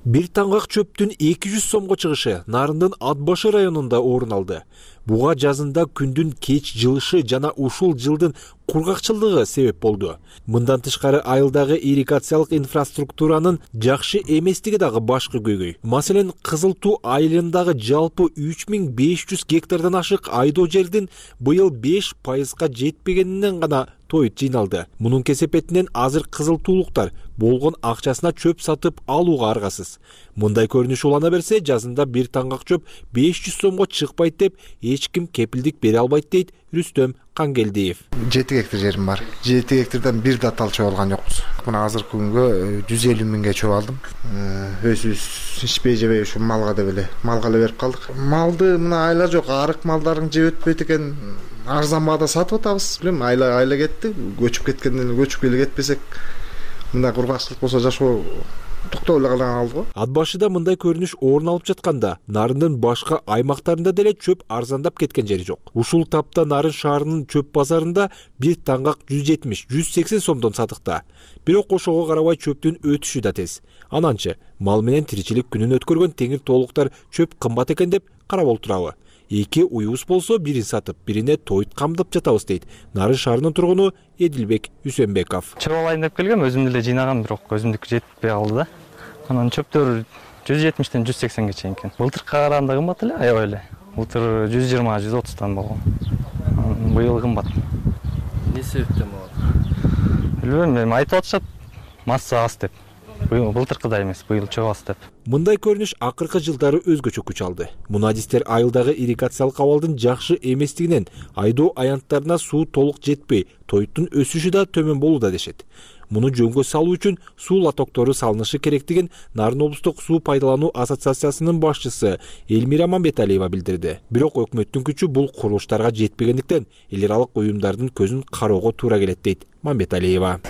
Бир таңгак чөптүн эки жүз сомго чыгышы Нарындын Ат башы районунда орун алды. Буга жазында күндүн кеч жылышы жана ушул жылдын кургакчылыгы себеп болду. Мындан тышкары айылдагы ирригациялык инфраструктуранын жакшы эместиги дагы башкы көйгөй. Маселен, Кызыл Туу айылындагы жалпы үч миң беш жүз гектардан ашык айдоо жердин быйыл беш пайызга жетпегенинен гана тоют жыйналды. Мунун кесепетинен азыр кызыл туулуктар болгон акчасына чөп сатып алууга аргасыз. Мындай көрүнүш улана берсе, жазында бир таңгак чөп беш жүз сомго чыкпайт деп эч ким кепилдик бере албайт дейт Рүстөм Кангелдиев. жети гектар жерим бар. жети гектардан бир да тал чөп алган жокпуз. Мына азыркы күнгө жүз элүү миңге чөп алдым. Өзүбүз ичпей жебей ушу малга деп эле, малга эле берип калдык. Малды мына айла жок, арык малдарын жеп өтпөйт экен. Арзан баада сатып атабыз. Билем, айла айла кетти. Көчүп кеткенден эле көчүп эле кетпесек, мындай кургакчылык болсо жашоо токтоп эле калган алды го. Ат башыда мындай көрүнүш орун алып жатканда, Нарындын башка аймактарында деле чөп арзандап кеткен жери жок. Ушул тапта Нарын шаарынын чөп базарында бир таңгак жүз жетимиш — жүз сексен сомдон сатыкта. Бирок ошого карабай чөптүн өтүшү да тез. Ананчы мал менен тиричилик күнүн өткөргөн теңир тоолуктар чөп кымбат экен деп карап олтурабы? Эки уюбуз болсо, бирин сатып, бирине тоют камдап жатабыз дейт Нарын шаарынын тургуну Эдилбек Үсөнбеков. Чөп алайын деп келгем, өзүм деле жыйнагам, бирок өзүмдүкү жетпей калды да. Анан чөптөр жүз жетимиштен жүз сексенге чейин экен. Былтыркыга караганда кымбат эле, аябай эле. Былтыр жүз жыйырма — жүз отуздан болгон. Быйыл кымбат. Эмне себептен болот? Билбейм, эми айтып атышат, масса аз деп. Былтыркыдай эмес, быйыл чөп аз деп. Мындай көрүнүш акыркы жылдары өзгөчө күч алды. Мунадистер айылдагы ирригациялык абалдын жакшы эместигинен айдоо аянттарына суу толук жетпей, тоюттун өсүшү да төмөн болууда дешет. Муну жөнгө салуу үчүн суу лотоктору салынышы керектигин Нарын облустук суу пайдалануу ассоциациясынын башчысы Элмира Мамбеталиева билдирди. Бирок өкмөттүн күчү бул курулуштарга жетпегендиктен эл аралык уюмдардын көзүн кароого туура келет дейт Мамбеталиева.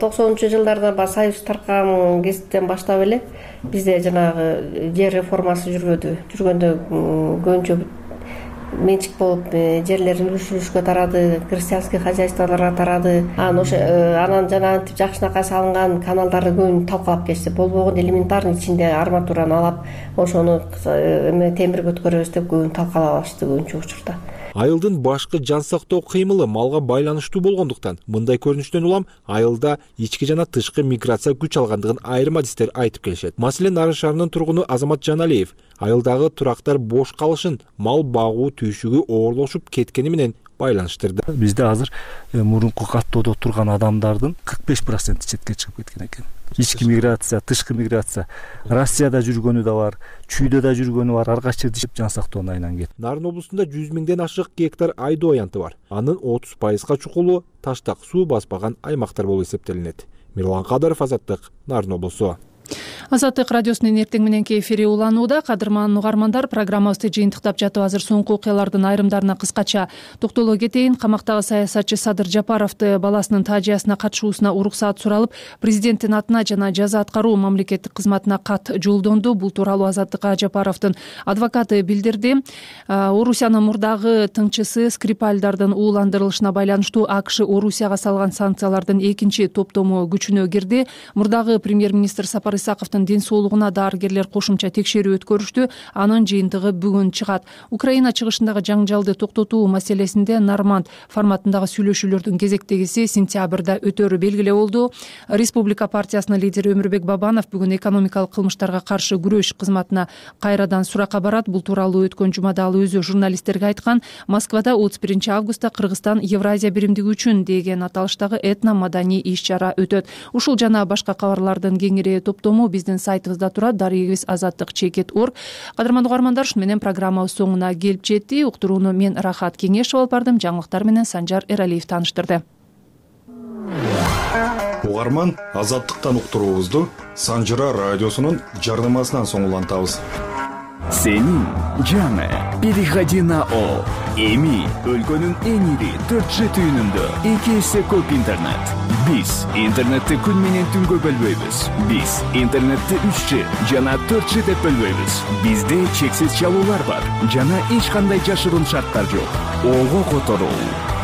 токсонунчу жылдарда баягы союз таркаган кезиптен баштап эле бизде жанагы жер реформасы жүргөдү. Жүргөндө көбүнчө менчик болуп жерлер үлүш үлүшкө тарады, крестьянский хозяйстволорго тарады. Анан ошо анан жанагынтип жакшынакай салынган каналдарды көбүн талкалап кетти. Болбогон элементарный ичинде арматураны алып, ошону эме темирге өткөрөбүз деп көбүн талкалабашты көбүнчө учурда. Айылдын башкы жан сактоо кыймылы малга байланыштуу болгондуктан, мындай көрүнүштөн улам айылда ички жана тышкы миграция күч алгандыгын айрым адистер айтып келишет. Маселен, Нарын шаарынын тургуну Азамат Жаналиев айылдагы турактар бош калышын мал багуу түйшүгү оорлошуп кеткени менен байланыштырды. Бизде азыр мурунку каттоодо турган адамдардын кырк беш проценти четке чыгып кеткен экен. Ички миграция, тышкы миграция, Россияда жүргөнү да бар, чүйдө да жүргөнү бар, ар кайсы жерде жан сактоонун айланып кетти. Нарын облусунда жүз миңден ашык гектар айдоо аянты бар. Анын отуз пайызга чукулу таштак суу баспаган аймактар болуп эсептелинет. Мирлан Кадыров, Азаттык, Нарын облусу. Азаттык радиосунун эртең мененки эфири уланууда. Кадырман угармандар, программабызды жыйынтыктап жатып азыр соңку окуялардын айрымдарына кыскача токтоло кетейин. Камактагы саясатчы Садыр Жапаровду баласынын таажиясына катышуусуна уруксаат суралып, президенттин атына жана жаза аткаруу мамлекеттик кызматына кат жолдонду. Бул тууралуу Азаттыкка Жапаровдун адвокаты билдирди. Орусиянын мурдагы тыңчысы Скрипальдардын ууландырылышына байланыштуу АКШ Орусияга салган санкциялардын экинчи топтому күчүнө кирди. Мурдагы премьер-министр Сапар Исаковдун ден соолугуна дарыгерлер кошумча текшерүү өткөрүштү. Анын жыйынтыгы бүгүн чыгат. Украина чыгышындагы жаңжалды токтотуу маселесинде Норманд форматындагы сүйлөшүүлөрдүн кезектегиси сентябрда өтөрү белгилүү болду. Республика партиясынын лидери Өмүрбек Бабанов бүгүн экономикалык кылмыштарга каршы күрөш кызматына кайрадан суракка барат. Бул тууралуу өткөн жумада ал өзү журналисттерге айткан. Москвада отуз биринчи августта Кыргызстан Евразия биримдиги үчүн деген аталыштагы этно маданий иш-чара өтөт. Ушул жана башка кабарлардын кеңири топтому биздин сайтыбызда турат. Дарегибиз азаттык чекит точка орг. Кадырман угармандар, ушу менен программабыз соңуна келип жетти. Уктурууну мен Рахат Кеңешов алып бардым. Жаңылыктар менен Санжар Эралиев тааныштырды. Угарман, азаттыктан уктуруубузду Санжыра радиосунун жарнамасынан соң улантабыз. Сенин жаңы переходи на О. Эми өлкөнүн эң ири төрт Ж түйүнүндө эки эсе көп интернет. Биз интернетти күн менен түнгө бөлбөйбүз. Биз интернетти үч Ж жана төрт Ж деп бөлбөйбүз. Бизде чексиз чалуулар бар жана эч кандай жашыруун шарттар жок. Ого которуу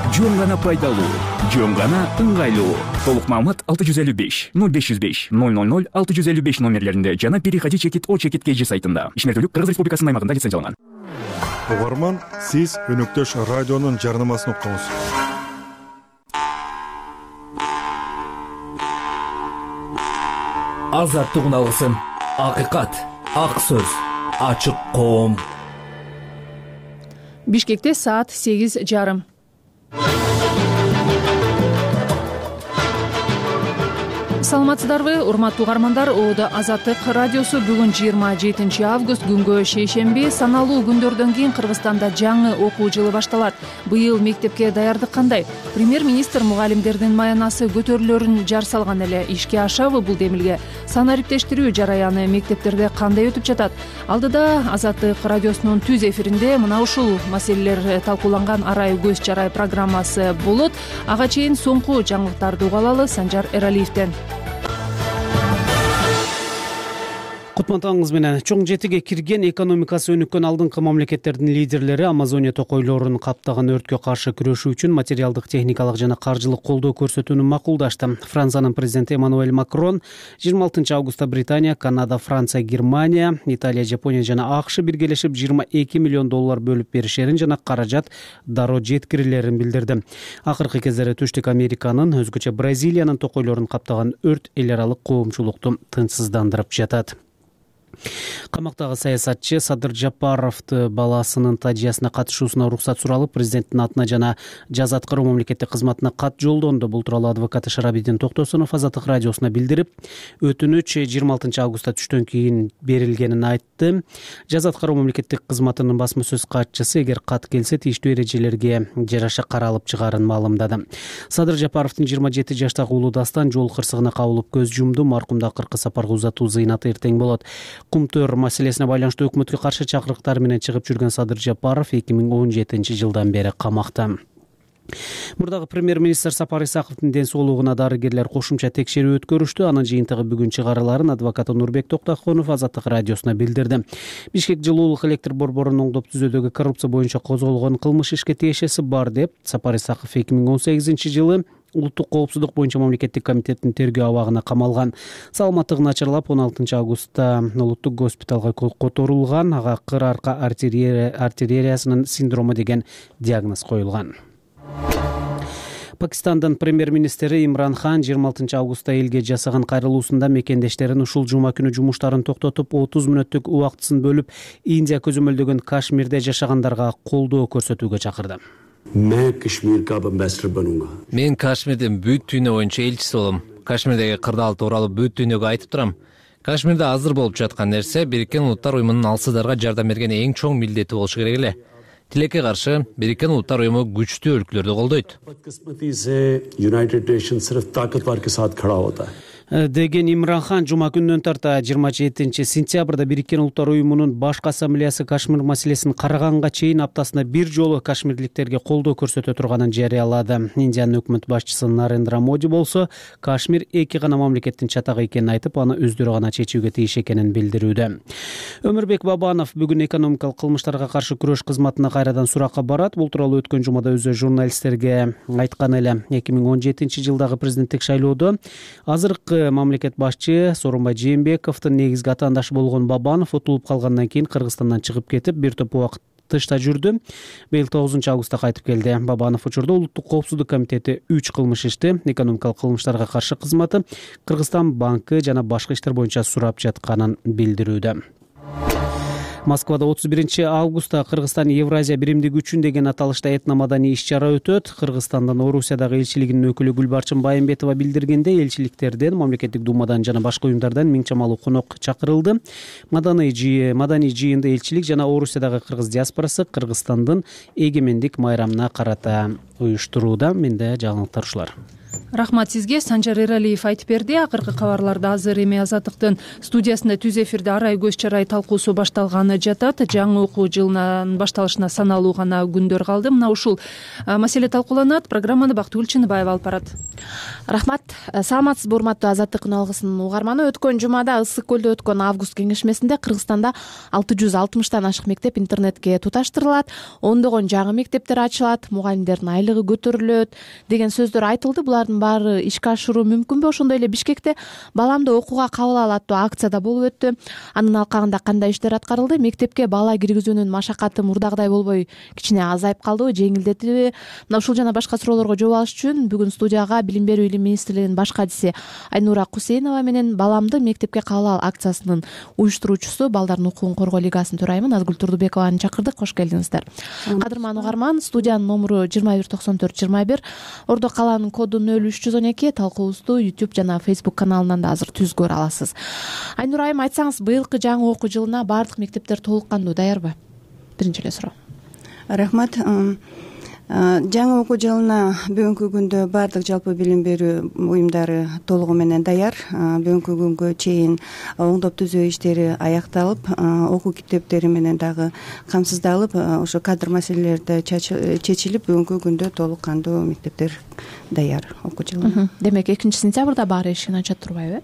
жөн гана пайдалуу, жөн гана ыңгайлуу. Толук маалымат алты жүз элүү беш ноль беш жүз беш ноль ноль ноль алты жүз элүү беш номерлеринде жана переходи чекит О чекит кей жи сайтында. Ишмердүүлүк Кыргыз Республикасынын аймагында лицензияланган. Угарман, сиз Өнөктөш радионун жарнамасын уктуңуз. Азаттыгын алгысың. Акыйкат, ак сөз, ачык коом. Бишкекте саат сегиз жарым. Саламатсыздарбы, урматтуу угармандар. Оодо Азаттык радиосу бүгүн жыйырма жетинчи август күнгө шейшемби. Саналуу күндөрдөн кийин Кыргызстанда жаңы окуу жылы башталат. Быйыл мектепке даярдык кандай? Премьер-министр мугалимдердин маянасы көтөрүлөрүн жар салган эле. Ишке ашабы бул демилге? Санариптештирүү жараяны мектептерде кандай өтүп жатат? Алдыда Азаттык радиосунун түз эфиринде мына ушул маселелер талкууланган арай көз чарай программасы болот. Ага чейин соңку жаңылыктарды угалалы Санжар Эралиевден. Кутмандыгыңыз менен. Чоң жетиге кирген экономикасы өнүккөн алдыңкы мамлекеттердин лидерлери Амазония токойлорун каптаган өрткө каршы күрөшүү үчүн материалдык, техникалык жана каржылык колдоо көрсөтүүнү макулдашты. Франциянын президенти Эммануэль Макрон жыйырма алтынчы августта Британия, Канада, Франция, Германия, Италия, Жапония жана АКШ биргелешип жыйырма эки миллион доллар бөлүп беришерин жана каражат дароо жеткирилерин билдирди. Акыркы кездери Түштүк Американын, өзгөчө Бразилиянын токойлорун каптаган өрт эл аралык коомчулукту тынчсыздандырып жатат. Камактагы саясатчы Садыр Жапаровду баласынын тажыясына катышуусуна уруксат суралып, президенттин атына жана жаза аткаруу мамлекеттик кызматына кат жолдонду. Бул тууралуу адвокаты Шарабидин Токтосунов Азаттык радиосуна билдирип, өтүнүч жыйырма алтынчы августта түштөн кийин берилгенин айтты. Жаза аткаруу мамлекеттик кызматынын басма сөз катчысы эгер кат келсе тийиштүү эрежелерге жараша каралып чыгаарын маалымдады. Садыр Жапаровдун жыйырма жети жаштагы уулу Дастан жол кырсыгына кабылып көз жумду. Маркумду акыркы сапарга узатуу зыйнаты эртең болот. Кумтөр маселесине байланыштуу өкмөткө каршы чакырыктар менен чыгып жүргөн Садыр Жапаров эки миң он жетинчи жылдан бери камакта. Мурдагы премьер-министр Сапар Исаковдун ден соолугуна дарыгерлер кошумча текшерүү өткөрүштү. Анын жыйынтыгы бүгүн чыгарыларын адвокаты Нурбек Токтохонов Азаттык радиосуна билдирди. Бишкек жылуулук электр борборун оңдоп түзүүдөгү коррупция боюнча козголгон кылмыш ишке тиешеси бар деп Сапар Исаков эки миң он сегизинчи жылы Улуттук коопсуздук боюнча мамлекеттик комитеттин тергөө абагына камалган. Саламаттыгы начарлап он алтынчы августта улуттук госпиталга которулган. Ага кыр арка артериясынын синдрому деген диагноз коюлган. Пакистандын премьер-министри Имран Хан жыйырма алтынчы августта элге жасаган кайрылуусунда мекендештерин ушул жума күнү жумуштарын токтотуп, отуз мүнөттүк убактысын бөлүп, Индия көзөмөлдөгөн Кашмирде жашагандарга колдоо көрсөтүүгө чакырды. Мен Кашмирдин бүт дүйнө боюнча элчиси болом. Кашмирдеги кырдаал тууралуу бүт дүйнөгө айтып турам. Кашмирде азыр болуп жаткан нерсе Бириккен Улуттар уюмунун алсыздарга жардам берген эң чоң милдети болушу керек эле. Тилекке каршы Бириккен Улуттар уюму күчтүү өлкөлөрдү колдойт деген Имран Хан жума күнүнөн тарта жыйырма жетинчи сентябрда Бириккен Улуттар уюмунун башкы ассамблеясы Кашмир маселесин караганга чейин аптасына бир жолу кашмирликтерге колдоо көрсөтө турганын жарыялады. Индиянын өкмөт башчысы Нарендра Моди болсо Кашмир эки гана мамлекеттин чатагы экенин айтып, аны өздөрү гана чечүүгө тийиш экенин билдирүүдө. Өмүрбек Бабанов бүгүн экономикалык кылмыштарга каршы күрөш кызматына кайрадан суракка барат. Бул тууралуу өткөн жумада өзү журналисттерге айткан эле. эки миң он жетинчи жылдагы президенттик шайлоодо азыркы мамлекет башчы Сооронбай Жээнбековдун негизги атаандашы болгон Бабанов утулуп калгандан кийин Кыргызстандан чыгып кетип, бир топ убакыт тышта жүрдү. Быйыл тогузунчу августта кайтып келди. Бабанов учурда Улуттук коопсуздук комитети үч кылмыш ишти, экономикалык кылмыштарга каршы кызматы, Кыргызстан банкы жана башка иштер боюнча сурап жатканын билдирүүдө. Москвада отуз биринчи августта Кыргызстан Евразия биримдиги үчүн деген аталышта этномаданий иш-чара өтөт. Кыргызстандын Орусиядагы элчилигинин өкүлү Гүлбарчын Байымбетова билдиргенде, элчиликтерден, мамлекеттик думадан жана башка уюмдардан миң чамалуу конок чакырылды. Маданий жыйын, маданий жыйынды элчилик жана Орусиядагы кыргыз диаспорасы Кыргызстандын эгемендик майрамына карата уюштурууда. Менде жаңылыктар ушулар. рахмат сизге. Санжар Эралиев айтып берди. Акыркы кабарларды азыр эми Азаттыктын студиясында түз эфирде арай көз чарай талкуусу башталганы жатат. Жаңы окуу жылынын башталышына саналуу гана күндөр калды. Мына ушул маселе талкууланат. Программаны Бактыгүл Чыныбаева алып барат. Рахмат. Саламатсызбы урматтуу Азаттыктын алгысын угарманы. Өткөн жумада Ысык көлдө өткөн август кеңешмесинде Кыргызстанда алты жүз алтымыштан ашык мектеп интернетке туташтырылат, ондогон жаңы мектептер ачылат, мугалимдердин айлыгы көтөрүлөт деген сөздөр айтылды. Булардын баары ишке ашыруу мүмкүнбү? Ошондой эле Бишкекте баламды окууга кабыл ал аттуу акцияда болуп өттү. Анын алкагында кандай иштер аткарылды? Мектепке бала киргизүүнүн машакаты мурдагыдай болбой кичине азайып калдыбы, жеңилдетилби? Мына ушул жана башка суроолорго жооп алыш үчүн бүгүн студияга Билим берүү илим министрлигинин баш катчысы Айнура Кусейнова менен баламды мектепке кабыл ал акциясынын уюштуруучусу Балдардын укугун коргоо лигасынын төрайымы Назгүл Турдубекованы чакырдык. Кош келдиңиздер. Кадырман угарман, студиянын номуру жыйырма бир токсон төрт жыйырма бир, Ордо калаанын коду нөл үч жүз он эки. Талкуубузду YouTube жана Facebook каналынан да азыр түз көрө аласыз. Айнур айым, айтсаңыз, быйылкы жаңы окуу жылына баардык мектептер толук кандуу даярбы? Биринчи эле суроо. Рахмат. Жаңы окуу жылына бүгүнкү күндө баардык жалпы билим берүү уюмдары толугу менен даяр. Бүгүнкү күнгө чейин оңдоп түзөө иштери аякталып, окуу китептери менен дагы камсыздалып, ошо кадр маселелери да чечилип, бүгүнкү күндө толук кандуу мектептер даяр окуу жылына. Демек экинчи сентябрда баары эшигин ачат турбайбы?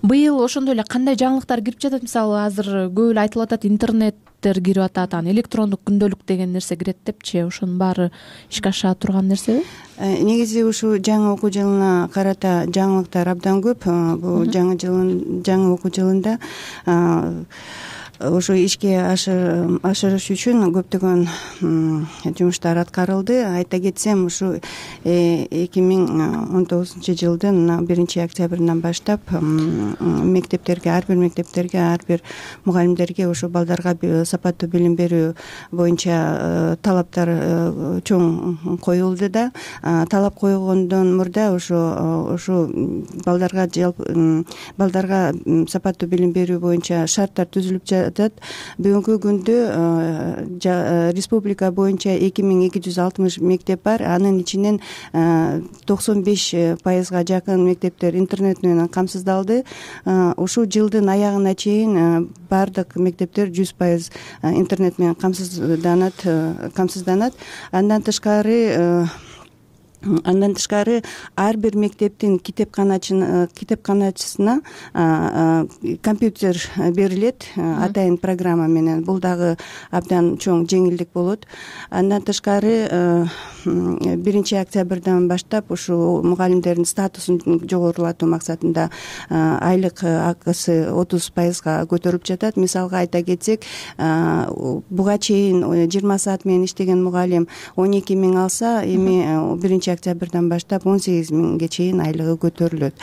Быйыл ошондой эле кандай жаңылыктар кирип жатат? Мисалы, азыр көп эле айтылып атат, интернет кирип атат, анан электрондук күндөлүк деген нерсе кирет депчи. Ошонун баары ишке аша турган нерсеби? Негизи ушу жаңы окуу жылына карата жаңылыктар абдан көп. Бул жаңы жылын жаңы окуу жылында ошо ишке ашырыш үчүн көптөгөн жумуштар аткарылды. Айта кетсем, ушу эки миң он тогузунчу жылдын биринчи октябрынан баштап мектептерге, ар бир мектептерге, ар бир мугалимдерге ушу балдарга сапаттуу билим берүү боюнча талаптар чоң коюлду да. Талап койгондон мурда ошо ошо балдарга жалпы балдарга сапаттуу билим берүү боюнча шарттар түзүлүп жатат. Бүгүнкү күндө республика боюнча эки миң эки жүз алтымыш мектеп бар. Анын ичинен токсон беш пайызга жакын мектептер интернет менен камсыздалды. Ушул жылдын аягына чейин баардык мектептер жүз пайыз интернет менен камсызданат, камсызданат. Андан тышкары Андан тышкары ар бир мектептин китепканачысына китепканачысына компьютер берилет атайын программа менен. Бул дагы абдан чоң жеңилдик болот. Андан тышкары биринчи октябрдан баштап ушу мугалимдердин статусун жогорулатуу максатында айлык акысы отуз пайызга көтөрүлүп жатат. Мисалга айта кетсек, буга чейин жыйырма саат менен иштеген мугалим он эки миң алса, эми биринчи октябрдан баштап он сегиз миңге чейин айлыгы көтөрүлөт.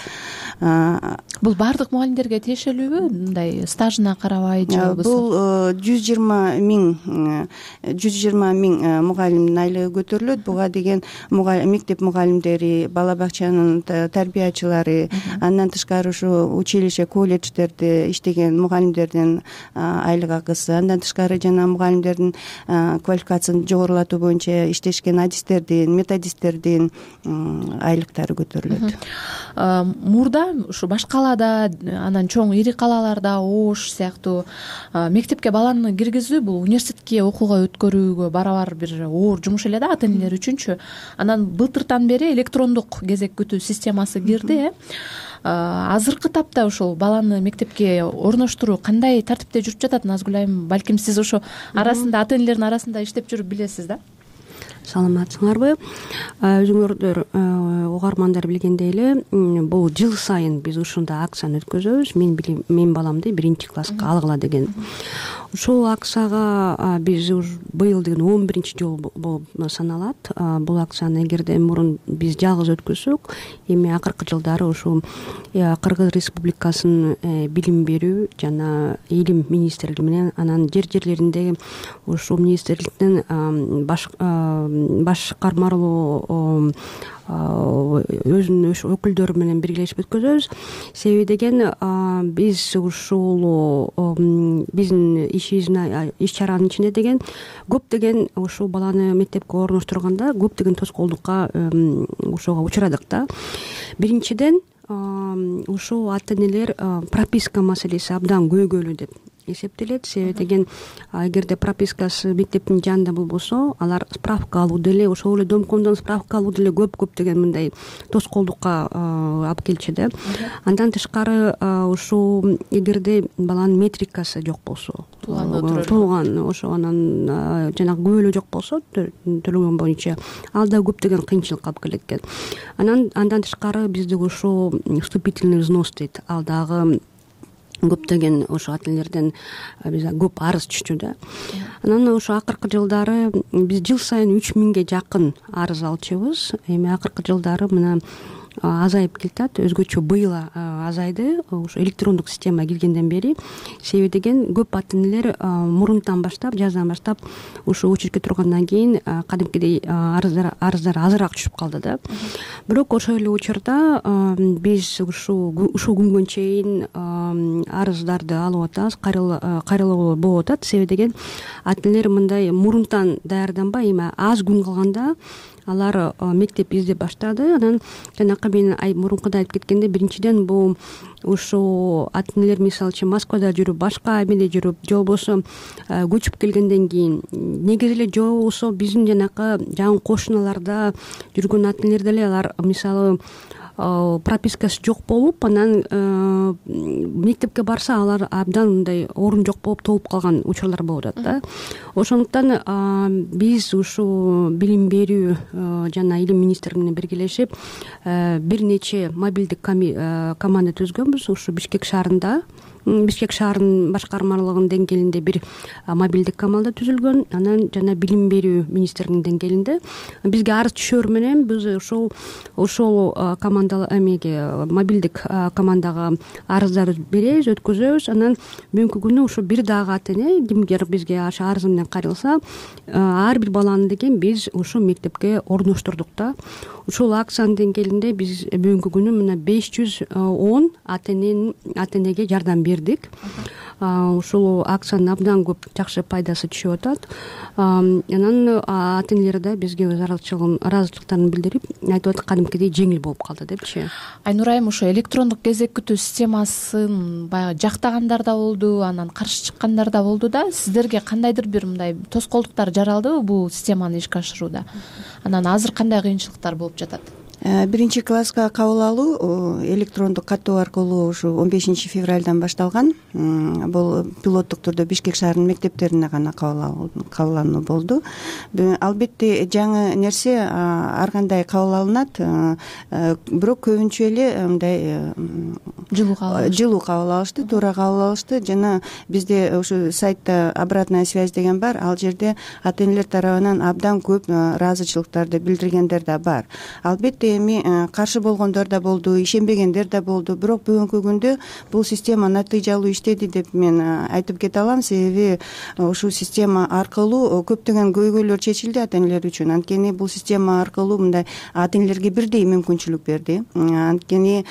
Бул баардык мугалимдерге тиешелүүбү? Мындай стажына карабай же болбосо? Бул жүз жыйырма миң жүз жыйырма миң мугалимдин айлыгы көтөрүлөт. Буга деген мектеп мугалимдери, бала бакчанын тарбиячылары, андан тышкары ушу училище, колледждерде иштеген мугалимдердин айлык акысы, андан тышкары жана мугалимдердин квалификациясын жогорулатуу боюнча иштешкен адистердин, методисттердин айлыктары көтөрүлөт. Мурда ушу баш калаада, анан чоң ири калаларда, Ош сыяктуу мектепке баланы киргизүү бул университетке окууга өткөрүүгө барабар бир оор жумуш эле да ата энелер үчүнчү. Анан былтыртан бери электрондук кезек күтүү системасы кирди. Азыркы тапта ушул баланы мектепке орноштуруу кандай тартипте жүрүп жатат? Назгүл айым, балким сиз ошо арасында ата энелердин арасында иштеп жүрүп билесиз да? Саламатсыңарбы? Өзүңөрдөр угармандар билгендей эле, бул жыл сайын биз ушундай акцияны өткөзөбүз. Мен мен баламды биринчи класска алгыла деген. Ушул акцияга биз быйыл деген он биринчи жол болуп саналат. Бул акцияны эгерде мурун биз жалгыз өткөзсөк, эми акыркы жылдары ушул Кыргыз Республикасынын билим берүү жана илим министрлиги менен, анан жер жерлериндеги ушул министрликтин баш башкармалуу өзүнүн өкүлдөрү менен биргелешип өткөзөбүз. Себеби деген биз ушул биздин ишибиздин иш чаранын ичинде деген көптөгөн ушул баланы мектепке орноштурганда көптөгөн тоскоолдукка ошого учурадык да. Биринчиден ушул ата энелер прописка маселеси абдан көйгөйлүү деп эсептелет. Себеби деген эгерде пропискасы мектептин жанында болбосо, алар справка алуу деле, ошол эле домкомдон справка алуу деле көп көптөгөн мындай тоскоолдукка алып келчү да. Андан тышкары ушул эгерде баланын метрикасы жок болсо, туулган ошо анан жанагы күбөлөө жок болсо төлөгөн боюнча, ал да көптөгөн кыйынчылыкка алып келет экен. Анан андан тышкары бизде ушул вступительный взнос дейт, ал дагы көптөгөн ошо ата энелерден биз көп арыз түшчү да. Анан ошо акыркы жылдары биз жыл сайын үч миңге жакын арыз алчубуз. Эми акыркы жылдары мына азайып келатат. Өзгөчө быйыл азайды ошо электрондук система киргенден бери. Себеби деген көп ата энелер мурунтан баштап, жаздан баштап ошо очередке тургандан кийин кадимкидей арыздар арыздар азыраак түшүп калды да. Бирок ошол эле учурда биз ушул ушул күнгө чейин арыздарды алып атабыз, кайрылуу болуп атат. Себеби деген ата энелер мындай мурунтан даярданбай, эми аз күн калганда алар мектеп издеп баштады. Анан жанакы мен мурункуда айтып кеткенде, биринчиден бул ушул ата энелер мисалы үчүн Москвада жүрүп, башка эмеде жүрүп, же болбосо көчүп келгенден кийин, негизи эле же болбосо биздин жанакы жакын кошуналарда жүргөн ата энелер деле алар мисалы пропискасы жок болуп, анан мектепке барса алар абдан мындай орун жок болуп толуп калган учурлар болуп атат да. Ошондуктан биз ушул билим берүү жана илим министрлиги менен биргелешип бир нече мобилдик команда түзгөнбүз. Ушу Бишкек шаарында Бишкек шаарынын башкармалыгынын деңгээлинде бир мобилдик команда түзүлгөн. Анан жана билим берүү министрлигинин деңгээлинде бизге арыз түшөр менен биз ошол ошол команда эмеге мобилдик командага арыздарды беребиз, өткөзөбүз. Анан бүгүнкү күнү ушу бир дагы ата эне кимдир бизге ашы арызы менен кайрылса, ар бир баланы деген биз ушу мектепке орноштурдук да. Ушул акциянын деңгээлинде биз бүгүнкү күнү мына беш жүз он ата эненин ата энеге жардам бердик. Ушул акциянын абдан көп жакшы пайдасы түшүп атат. Анан ата энелер да бизге өз ыраазычылыктарын билдирип айтып атат, кадимкидей жеңил болуп калды депчи. Айнур айым, ошо электрондук кезек күтүү системасын баягы жактагандар да болду, анан каршы чыккандар да болду да. Сиздерге кандайдыр бир мындай тоскоолдуктар жаралдыбы бул системаны ишке ашырууда? Анан азыр кандай кыйынчылыктар болуп жатат? Биринчи класска кабыл алуу электрондук каттоо аркылуу ушу он бешинчи февралдан башталган. Бул пилоттук түрдө Бишкек шаарынын мектептерине гана кабыл алынуу болду. Албетте жаңы нерсе ар кандай кабыл алынат, бирок көбүнчө эле мындай жылуу кабыл алышты, туура кабыл алышты. Жана бизде ушу сайтта обратная связь деген бар. Ал жерде ата энелер тарабынан абдан көп ыраазычылыктарды билдиргендер да бар. Албетте эми каршы болгондор да болду, ишенбегендер да болду. Бирок бүгүнкү күндө бул система натыйжалуу иштеди деп мен айтып кете алам. Себеби ушул система аркылуу көптөгөн көйгөйлөр чечилди ата энелер үчүн. Анткени бул система аркылуу мындай ата энелерге бирдей мүмкүнчүлүк берди. Анткени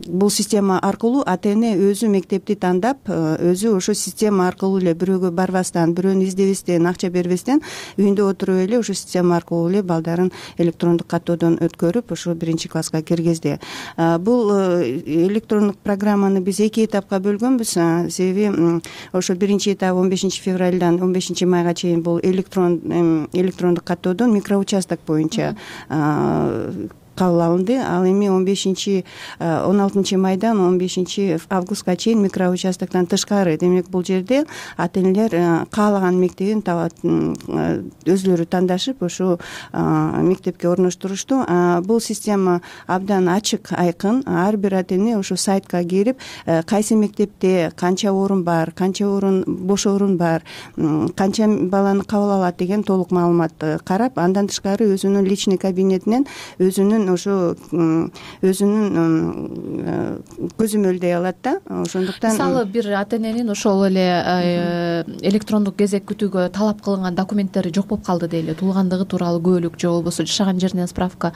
бул система аркылуу ата эне өзү мектепти тандап, өзү ошо система аркылуу эле бирөөгө барбастан, бирөөнү издебестен, акча бербестен үйүндө отуруп эле ошо система аркылуу эле балдарын электрондук каттоодон өткөрүп, ошо биринчи класска киргизди. Бул электрондук программаны биз эки этапка бөлгөнбүз. Себеби ошо биринчи этап он бешинчи февралдан он бешинчи майга чейин бул электрон электрондук каттоодон микроучасток боюнча кабыл алынды. Ал эми он бешинчи он алтынчы майдан он бешинчи августка чейин микроучастоктон тышкары. Демек бул жерде ата энелер каалаган мектебин табат, өзлөрү тандашып ошо мектепке орноштурушту. Бул система абдан ачык, айкын. Ар бир ата эне ошо сайтка кирип, кайсы мектепте канча орун бар, канча орун бош орун бар, канча баланы кабыл алат деген толук маалымат карап, андан тышкары өзүнүн личный кабинетинен өзүнүн менен ошо өзүнүн көзөмөлдөй алат да. Ошондуктан мисалы бир ата эненин ошол эле электрондук кезек күтүүгө талап кылынган документтери жок болуп калды дейли, туулгандыгы тууралуу күбөлүк же болбосо жашаган жеринен справка,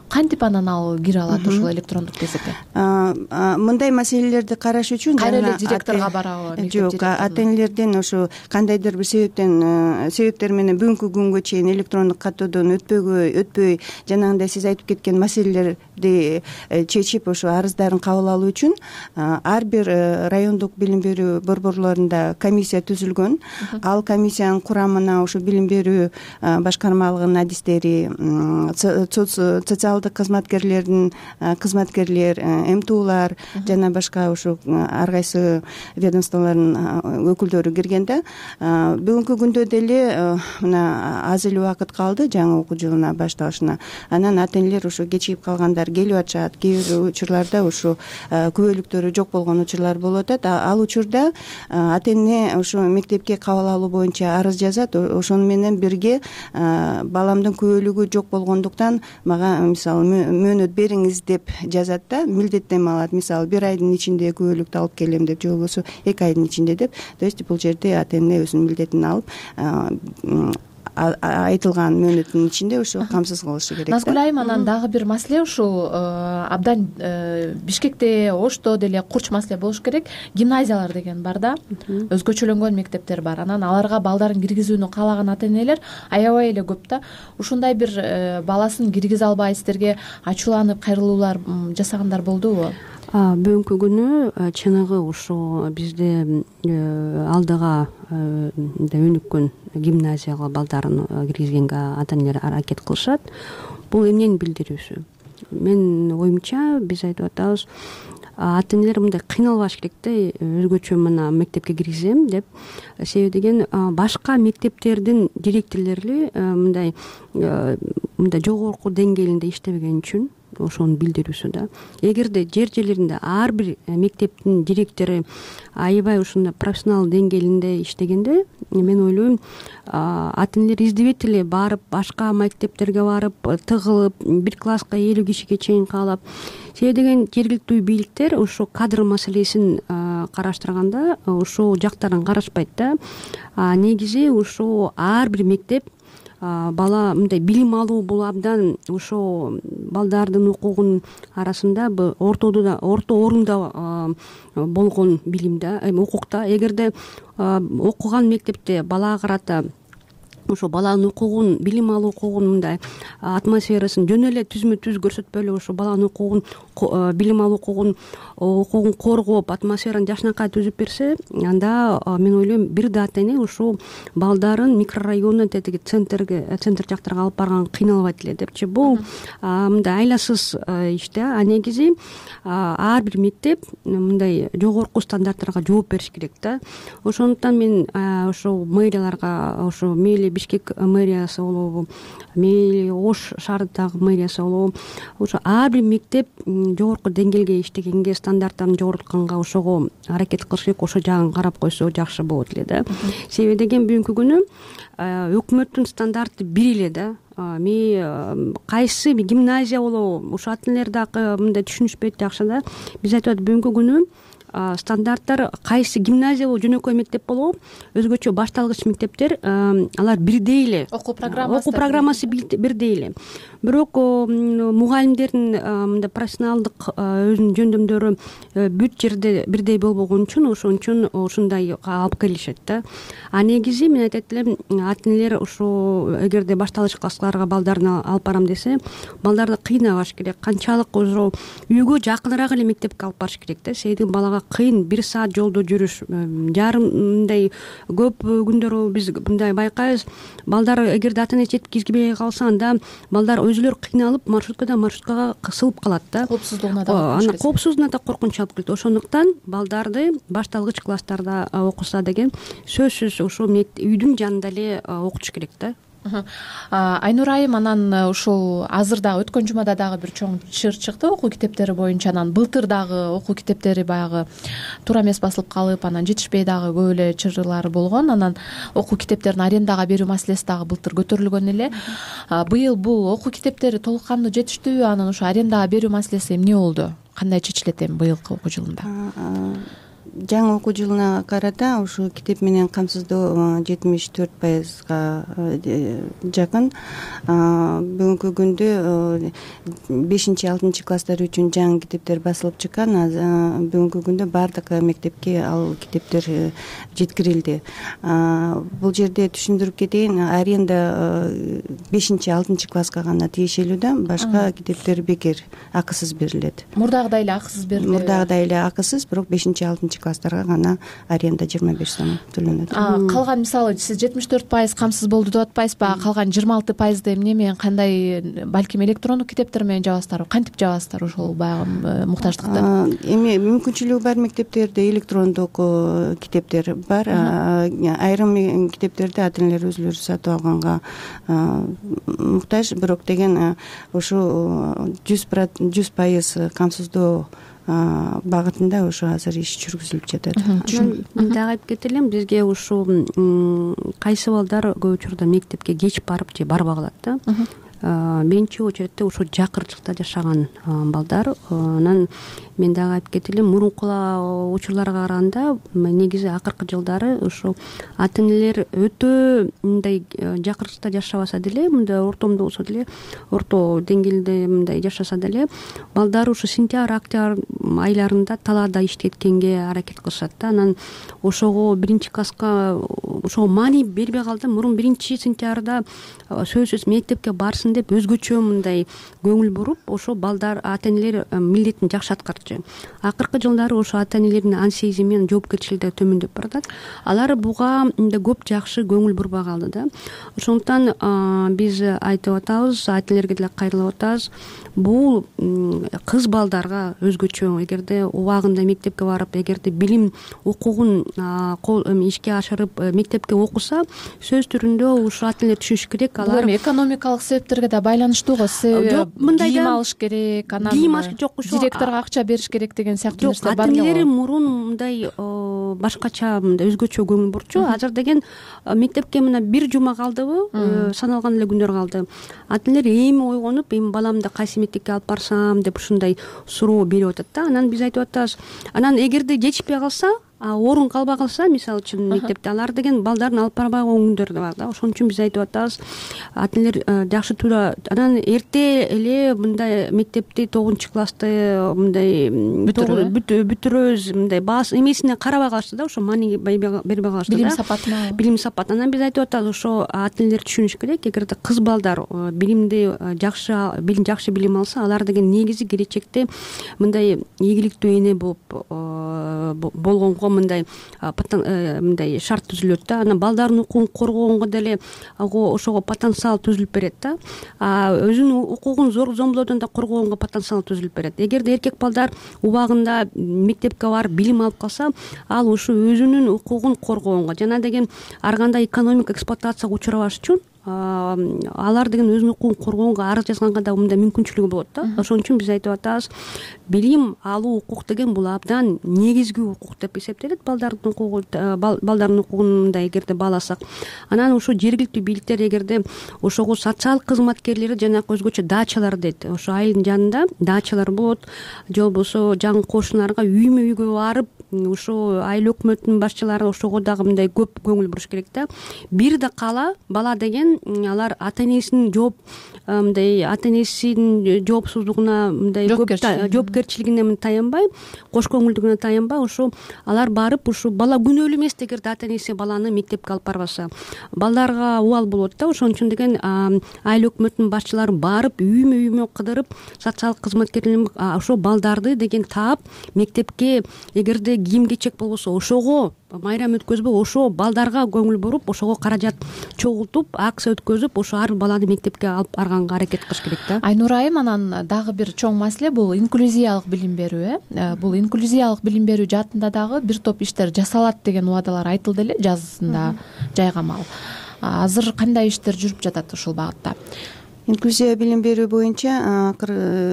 кантип анан ал кире алат ошол электрондук кезекке? Мындай маселелерди караш үчүн кайра эле директорго барабы? Жок, ата энелерден ошо кандайдыр бир себептен себептер менен бүгүнкү күнгө чейин электрондук каттоодон өтпөгөй өтпөй жанагындай сиз айтып кеткен маселелерди чечип ошо арыздарын кабыл алуу үчүн ар бир райондук билим берүү борборлорунда комиссия түзүлгөн. Ал комиссиянын курамына ошо билим берүү башкармалыгынын адистери, социалдык кызматкерлердин кызматкерлер, эмтуулар жана башка ошо ар кайсы ведомстволордун өкүлдөрү кирген да. Бүгүнкү күндө деле мына аз эле убакыт калды жаңы окуу жылына башталышына. Анан ата энелер ошо кечигип калгандар келип атышат. Кээ бир учурларда ошо күбөлүктөрү жок болгон учурлар болуп атат. Ал учурда ата эне ошо мектепке кабыл алуу боюнча арыз жазат. Ошону менен бирге баламдын күбөлүгү жок болгондуктан мага мисалы мөөнөт бериңиз деп жазат да, милдеттенме алат. Мисалы бир айдын ичинде күбөлүктү алып келем деп, же болбосо эки айдын ичинде деп. То есть бул жерде ата эне өзүнүн милдетин алып айтылган мөөнөттүн ичинде ошо камсыз кылышы керек да. Назгүл айым, анан дагы бир маселе ушул абдан Бишкекте, Ошто деле курч маселе болуш керек. Гимназиялар деген бар да, өзгөчөлөнгөн мектептер бар. Анан аларга балдарын киргизүүнү каалаган ата энелер аябай эле көп да. Ушундай бир баласын киргизе албай сиздерге ачууланып кайрылуулар жасагандар болдубу? Бүгүнкү күнү чыныгы ушу бизде алдыга өнүккөн гимназияга балдарын киргизгенге ата энелер аракет кылышат. Бул эмнени билдирүүсү? Менин оюмча биз айтып атабыз, ата энелер мындай кыйналбаш керек да, өзгөчө мына мектепке киргизем деп. Себеби деген башка мектептердин директорлори мындай мындай жогорку деңгээлинде иштебеген үчүн ошону билдирүүсү да. Эгерде жер жерлеринде ар бир мектептин директору аябай ушундай профессионал деңгээлинде иштегенде, мен ойлойм, ата энелер издебейт эле барып, башка мектептерге барып, тыгылып, бир класска элүү кишиге чейин каалап. Себеби деген жергиликтүү бийликтер ошо кадр маселесин караштырганда ошол жактарын карашпайт да. Негизи ошо ар бир мектеп бала мындай билим алуу бул абдан ошо балдардын укугунун арасында ортодо да орто орунда болгон билим да, укукта. Эгерде окуган мектепте балага карата ошо баланын укугун, билим алуу укугун мындай атмосферасын жөн эле түзмө түз көрсөтпөй эле ошо баланын укугун, билим алуу укугун укугун коргоп, атмосфераны жакшынакай түзүп берсе, анда мен ойлойм бир да ата эне ошо балдарын микрорайондон тетиги центрге, центр жактарга алып барган кыйналбайт эле депчи. Бул мындай айласыз иш да. А негизи ар бир мектеп мындай жогорку стандарттарга жооп бериш керек да. Ошондуктан мен ошо мэрияларга, ошо мейли Бишкек мэриясы болобу, мейли Ош шаарындагы мэриясы болобу, ошо ар бир мектеп жогорку деңгээлге иштегенге, стандарттарын жогорултканга ошого аракет кылыш керек. Ошо жагын карап койсо жакшы болот эле да. Себеби деген бүгүнкү күнү өкмөттүн стандарты бир эле да. Ми кайсы гимназия болобу, ошо ата энелер дагы мындай түшүнүшпөйт жакшы да. Биз айтып атат, бүгүнкү күнү стандарттар кайсы гимназия болобу, жөнөкөй мектеп болобу, өзгөчө башталгыч мектептер алар бирдей эле. Окуу программасы окуу программасы бирдей эле. Бирок мугалимдердин мындай профессионалдык өзүнүн жөндөмдөрү бүт жерде бирдей болбогон үчүн ошон үчүн ушундай алып келишет да. А негизи мен айтат элем, ата энелер ошо эгерде башталгыч классларга балдарын алып барам десе, балдарды кыйнабаш керек. Канчалык ошо үйгө жакыныраак эле мектепке алып барыш керек да. Себеби балага кыйын, бир саат жолдо жүрүш, жарым мындай көп күндөр биз мындай байкайбыз. Балдар эгерде ата эне жеткизбей калса, анда балдар өзүлөр кыйналып маршруткадан маршруткага кысылып калат да. Коопсуздугуна да ана коопсуздугуна да коркунуч алып келет. Ошондуктан балдарды башталгыч класстарда окуса деген сөзсүз ошо үйдүн жанында эле окутуш керек да. Айнур айым, анан ушул азыр дагы өткөн жумада дагы бир чоң чыр чыкты окуу китептери боюнча. Анан былтыр дагы окуу китептери баягы туура эмес басылып калып, анан жетишпей дагы көп эле чырлар болгон. Анан окуу китептерин арендага берүү маселеси дагы былтыр көтөрүлгөн эле. Быйыл бул окуу китептери толук кандуу жетиштүүбү? Анан ушу арендага берүү маселеси эмне болду? Кандай чечилет эми быйылкы окуу жылында? Жаңы окуу жылына карата ушу китеп менен камсыздоо жетимиш төрт пайызга жакын. Бүгүнкү күндө бешинчи алтынчы класстар үчүн жаңы китептер басылып чыккан. Бүгүнкү күндө баардык мектепке ал китептер жеткирилди. Бул жерде түшүндүрүп кетейин, аренда бешинчи алтынчы класска гана тиешелүү да, башка китептер бекер, акысыз берилет. Мурдагыдай эле акысыз берилет. Мурдагыдай эле акысыз, бирок бешинчи алтынчы класстарга гана аренда жыйырма беш сом төлөнөт. Калган, мисалы сиз жетимиш төрт пайыз камсыз болду деп атпайсызбы? Калган жыйырма алты пайызды эмне менен, кандай, балким электрондук китептер менен жабасыздарбы? Кантип жабасыздар ошол баягы муктаждыкты? Эми мүмкүнчүлүгү бар мектептерде электрондук китептер бар. Айрым китептерди ата энелер өзүлөрү сатып алганга муктаж, бирок деген ушу жүз пайыз камсыздоо багытында ошо азыр иш жүргүзүлүп жатат. Мен дагы айтып кетелим, бизге ушу кайсы балдар көп учурда мектепке кеч барып же барбай калат да. Биринчи очередте ушу жакырчыкта жашаган балдар. Анан мен дагы айтып кетелим, мурунку учурларга караганда негизи акыркы жылдары ушу ата энелер өтө мындай жакырчыкта жашабаса деле, мындай ортомдо болсо деле, орто деңгээлде мындай жашаса деле, балдар ушу сентябрь, октябрь айларында талаада иштеткенге аракет кылышат да. Анан ошого биринчи класска ошого маани бербей калды. Мурун биринчи сентябрда сөзсүз мектепке барсын деп өзгөчө мындай көңүл буруп, ошо балдар, ата энелер милдетин жакшы аткарчу. Акыркы жылдары ошо ата энелердин ансезими менен жоопкерчилиги төмөндөп баратат. Алар буга көп жакшы көңүл бурбай калды да. Ошондуктан биз айтып атабыз, ата энелерге деле кайрылып атабыз. Бул кыз балдарга өзгөчө, эгерде убагында мектепке барып, эгерде билим укугун ишке ашырып мектепке окуса, сөз түрүндө ушу ата энелер түшүнүш керек. Алар экономикалык себептерге да байланыштуу го. Себеби кийим алыш керек, анан кийим алыш жок, ушу директорго акча бериш керек деген сыяктуу нерселер бар. Ата энелер мурун мындай башкача, мындай өзгөчө көңүл бурчу. Азыр деген мектепке мына бир жума калдыбы, саналган эле күндөр калды. Ата энелер эми ойгонуп, эми баламды кайсы мектепке алып барсам деп ушундай суроо берип атат да. Анан биз айтып атабыз, анан эгерде жетишпей калса, орун калбай калса, мисалы үчүн мектепте, алар деген балдарын алып барбай койгон күндөр да бар да. Ошон үчүн биз айтып атабыз, ата энелер жакшы туура, анан эрте эле мындай мектепти тогузунчу классты мындай бүтүрөбүз, мындай баасы эмесине карабай калышты да, ошо маани бербей калышты да. Билим сапатына. Билим сапат. Анан биз айтып атабыз, ошо ата энелер түшүнүш керек, эгерде кыз балдар билимди жакшы, билим жакшы билим алса, алар деген негизи келечекте мындай ийгиликтүү эне болуп болгонго мындай мындай шарт түзүлөт да. Анан балдардын укугун коргогонго деле ошого потенциал түзүлүп берет да. Өзүнүн укугун зор зомбулоодон да коргогонго потенциал түзүлүп берет. Эгерде эркек балдар убагында мектепке барып билим алып калса, ал ушу өзүнүн укугун коргогонго жана деген ар кандай экономик эксплуатацияга учурабаш үчүн алар деген өзүнүн укугун коргогонго арыз жазганга да мындай мүмкүнчүлүгү болот да. Ошон үчүн биз айтып атабыз, билим алуу укук деген бул абдан негизги укук деп эсептелет. Балдардын укугу, балдардын укугун мындай эгерде бааласак, анан ушу жергиликтүү бийликтер эгерде ошого социалдык кызматкерлери жанагы өзгөчө дачалар дейт. Ошо айылдын жанында дачалар болот, же болбосо жаңы кошуналарга үймө үйгө барып, ошо айыл өкмөтүнүн башчылары ошого дагы мындай көп көңүл буруш керек да. Бир да кала бала деген алар ата энесинин жооп мындай ата энесинин жоопсуздугуна мындай көп жоопкерчилигине таянбай, кош көңүлдүгүнө таянбай, ошо алар барып, ушу бала күнөөлүү эмес эгерде ата энеси баланы мектепке алып барбаса. Балдарга убал болот да. Ошон үчүн деген айыл өкмөтүнүн башчылары барып, үймө үймө кыдырып, социалдык кызматкерлер ошо балдарды деген таап мектепке, эгерде кийим кечек болбосо ошого майрам өткөзбөй, ошо балдарга көңүл буруп, ошого каражат чогултуп, акция өткөзүп, ошо ар баланы мектепке алып барганга аракет кылыш керек да. Айнур айым, анан дагы бир чоң маселе бул инклюзиялык билим берүү. Э бул инклюзиялык билим берүү жаатында дагы бир топ иштер жасалат деген убадалар айтылды эле жазында жайгамал. азыр кандай иштер жүрүп жатат ушул багытта? Инклюзия билим берүү боюнча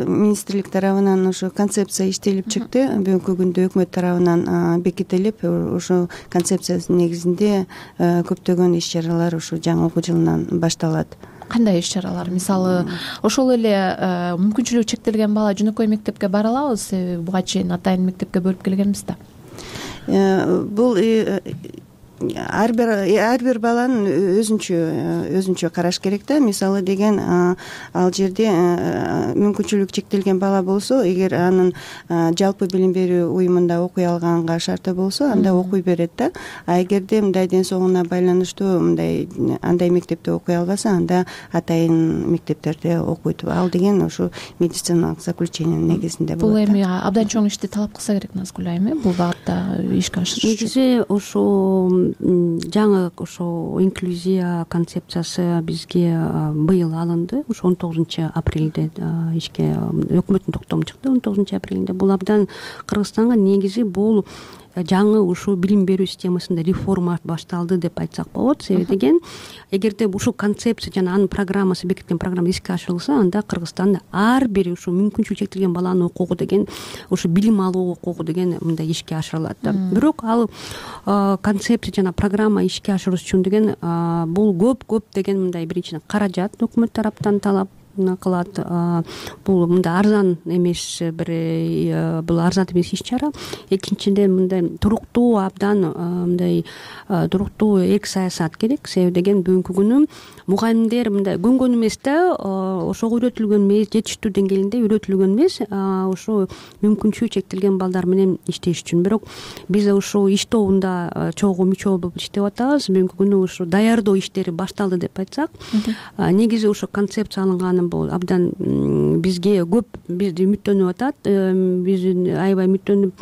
министрлик тарабынан ушу концепция иштелип чыкты. Бүгүнкү күндө өкмөт тарабынан бекитилип, ушул концепциянын негизинде көптөгөн иш чаралар ушу жаңы окуу жылынан башталат. Кандай иш чаралар? Мисалы, ошол эле мүмкүнчүлүгү чектелген бала жөнөкөй мектепке бара алабы? Себеби буга чейин атайын мектепке бөлүп келгенбиз да. Бул ар бир ар бир баланын өзүнчө өзүнчө караш керек да. Мисалы деген ал жерде мүмкүнчүлүгү чектелген бала болсо, эгер анын жалпы билим берүү уюмунда окуй алганга шарты болсо, анда окуй берет да. А эгерде мындай ден соолугуна байланыштуу мындай андай мектепте окуй албаса, анда атайын мектептерде окуйт. Ал деген ушу медициналык заключениянын негизинде болот. Бул эми абдан чоң ишти талап кылса керек Назгүл айым, бул багытта ишке ашырыш. Негизи ошо жаңы ошо инклюзия концепциясы бизге быйыл алынды. Ушу он тогузунчу апрелде ишке өкмөттүн токтому чыкты. он тогузунчу апрелде бул абдан Кыргызстанга негизи бул жаңы ушул билим берүү системасында реформа башталды деп айтсак болот. Себеби деген, эгерде ушул концепция жана анын программасы, бекитилген программа иске ашырылса, анда Кыргызстанда ар бир ушул мүмкүнчүлүгү чектелген баланын укугу деген, ушу билим алуу укугу деген мындай ишке ашырылат да. Бирок ал концепция жана программа ишке ашырыш үчүн деген бул көп көп деген мындай биринчиден каражат өкмөт тараптан талап кылат. Бул мындай арзан эмес, бир бул арзан эмес иш чара. Экинчиден мындай туруктуу, абдан мындай туруктуу эки саясат керек. Себеби деген бүгүнкү күнү мугалимдер мындай көнгөн эмес да, ошого үйрөтүлгөн эмес, жетиштүү деңгээлинде үйрөтүлгөн эмес, ошо мүмкүнчүлүгү чектелген балдар менен иштеш үчүн. Бирок биз ушул иш тобунда чогуу мүчө болуп иштеп атабыз. Бүгүнкү күнү ушу даярдоо иштери башталды деп айтсак, негизи ушу концепция алынганы бул абдан бизге көп бизди үмүттөнүп атат. Биз аябай үмүттөнүп,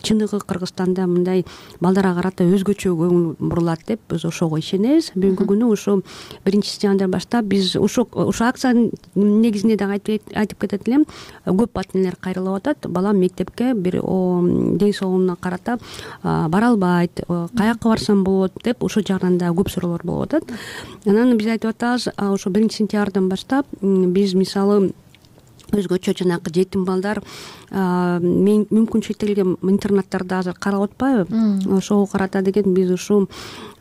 чыныгы Кыргызстанда мындай балдарга карата өзгөчө көңүл бурулат деп биз ошого ишенебиз. Бүгүнкү күнү ушу биринчи сентябрдан баштап биз ушу ушу акциянын негизинде дагы айтып кетет элем, көп ата энелер кайрылып атат. Балам мектепке бир ден соолугуна карата бара албайт, каякка барсам болот деп ошол жагынан да көп суроолор болуп атат. Анан биз айтып атабыз, ошо биринчи сентябрдан баштап биз мисалы өзгөчө жанагы жетим балдар мүмкүнчүлүгү чектелген интернаттарда азыр каралып атпайбы? Ошого карата деген биз ушу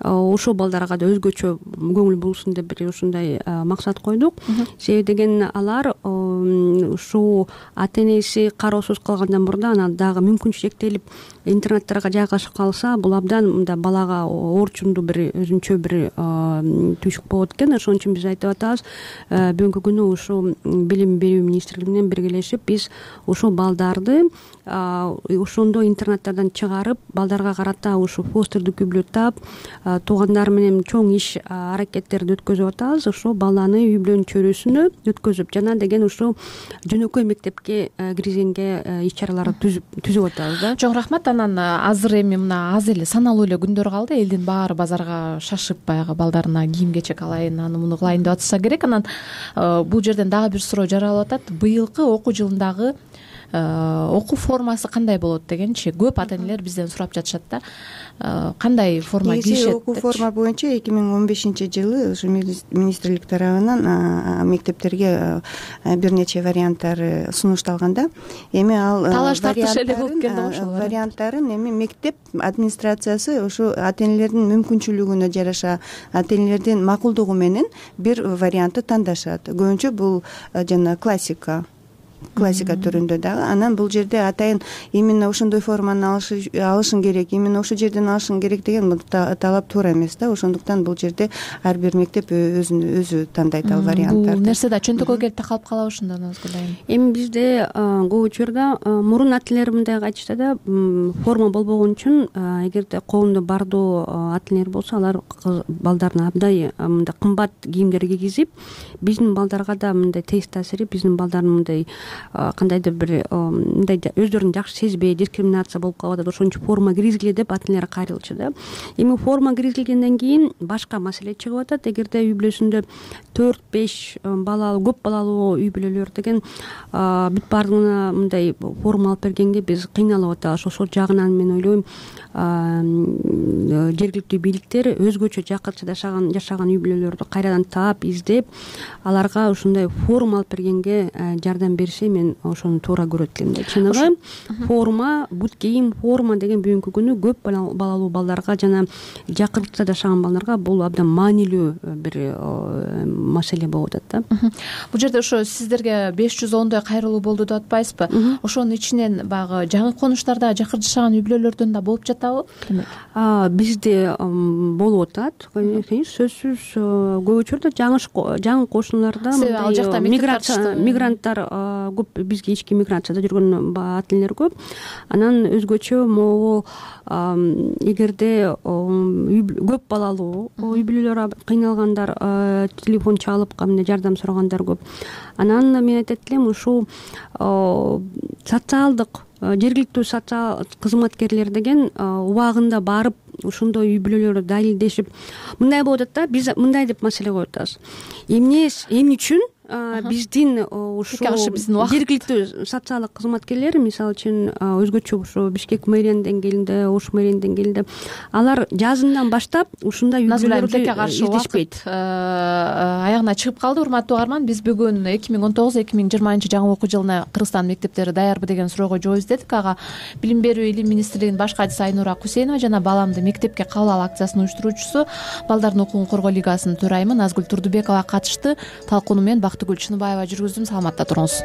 ошол балдарга да өзгөчө көңүл бурулсун деп бир ушундай максат койдук. Себеби деген алар ушул ата энеси кароосуз калгандан мурда анан дагы мүмкүнчүлүгү чектелип интернаттарга жайгашып калса, бул абдан мындай балага орчундуу бир өзүнчө бир түйшүк болот экен. Ошон үчүн биз айтып атабыз, бүгүнкү күнү ушул билим берүү министрлиги менен биргелешип биз ушул балдарды ошондой интернаттардан чыгарып, балдарга карата ушу постерди күбөлөтөп, туугандары менен чоң иш аракеттерди өткөзүп атабыз. Ошол баланы үй бүлөнүн чөйрөсүнө өткөзүп, жана деген ушул жөнөкөй мектепке киргизгенге иш чараларды түзүп түзүп атабыз да. Чоң рахмат. Анан азыр эми мына аз эле саналуу эле күндөр калды. Элдин баары базарга шашып баягы балдарына кийим кечек алайын, аны муну кылайын деп атса керек. Анан бул жерден дагы бир суроо жаралып атат. Быйылкы окуу жылындагы окуу формасы кандай болот дегенчи көп ата энелер бизден сурап жатышат да. Кандай форма кийишет? Окуу форма боюнча эки миң он бешинчи жылы ушу министрлик тарабынан мектептерге бир нече варианттары сунушталган да. Эми ал талаш тартыш эле болуп келди го ошол варианттарын эми мектеп администрациясы ушу ата энелердин мүмкүнчүлүгүнө жараша, ата энелердин макулдугу менен бир вариантты тандашат. Көбүнчө бул жана классика классика түрүндө дагы. Анан бул жерде атайын именно ошондой форманы алышың керек, именно ошол жерден алышың керек деген бул талап туура эмес да. Ошондуктан бул жерде ар бир мектеп өзүн өзү тандайт ал варианттарды. Бул нерсе да чөнтөгкө келип такалып калабы ушунда Назгүл айым? Эми бизде көп учурда мурун ата энелер мындай айтышты да, форма болбогон үчүн эгерде колунда бардоо ата энелер болсо, алар балдарына абдай мындай кымбат кийимдер кийгизип, биздин балдарга да мындай терс таасири, биздин балдардын мындай кандайдыр бир мындай өздөрүн жакшы сезбей дискриминация болуп калып атат, ошон үчүн форма киргизгиле деп ата энелер кайрылчу да. Эми форма киргизилгенден кийин башка маселе чыгып атат. Эгерде үй бүлөсүндө төрт беш балалуу көп балалуу үй бүлөлөр деген бүт баардыгына мындай форма алып бергенге биз кыйналып атабыз. Ошол жагынан мен ойлойм жергиликтүү бийликтер өзгөчө жакырча жашаган жашаган үй бүлөлөрдү кайрадан таап издеп аларга ушундай форма алып бергенге жардам берсе, мен ошону туура көрөт элем да. Чыныгы форма, бут кийим, форма деген бүгүнкү күнү көп балалуу балдарга жана жакырча жашаган балдарга бул абдан маанилүү бир маселе болуп атат да. Бул жерде ошо сиздерге беш жүз ондой кайрылуу болду деп атпайсызбы? Ошонун ичинен баягы жаңы конуштарда жакыр жашаган үй бүлөлөрдөн да болуп жатабы? Бизде болуп атат, сөзсүз. Көп учурда жаңы кошуналарда ал жакта мигранттар көп, бизге ички миграцияда жүргөн ата энелер көп. Анан өзгөчө могу эгерде көп балалуу үй бүлөлөр кыйналгандар, телефон чалып кандай жардам сурагандар көп. Анан мен айтат элем, ушул социалдык жергиликтүү социал кызматкерлер деген убагында барып ошондой үй бүлөлөрдү далилдешип, мындай болуп атат да, биз мындай деп маселе коюп атабыз. Эмне эмне үчүн биздин ушул жергиликтүү социалдык кызматкерлер, мисалы үчүн өзгөчө ушу Бишкек мэриянын деңгээлинде, Ош мэриянын деңгээлинде алар жазындан баштап ушундай үй бүлөлөрдү издешпейт. Аягына чыгып калды. Урматтуу угарман, биз бүгүн эки миң он тогуз эки миң жыйырманчы жаңы окуу жылына Кыргызстан мектептери даярбы деген суроого жооп издедик. Ага Билим берүү илим министрлигинин баш катчысы Айнура Кусейнова жана Баламды мектепке кабыл ал акциясынын уюштуруучусу, Балдардын укугун коргоо лигасынын төрайымы Назгүл Турдубекова катышты. Талкууну мен Бактыгүл Чыныбаева жүргүздүм. Саламатта туруңуз.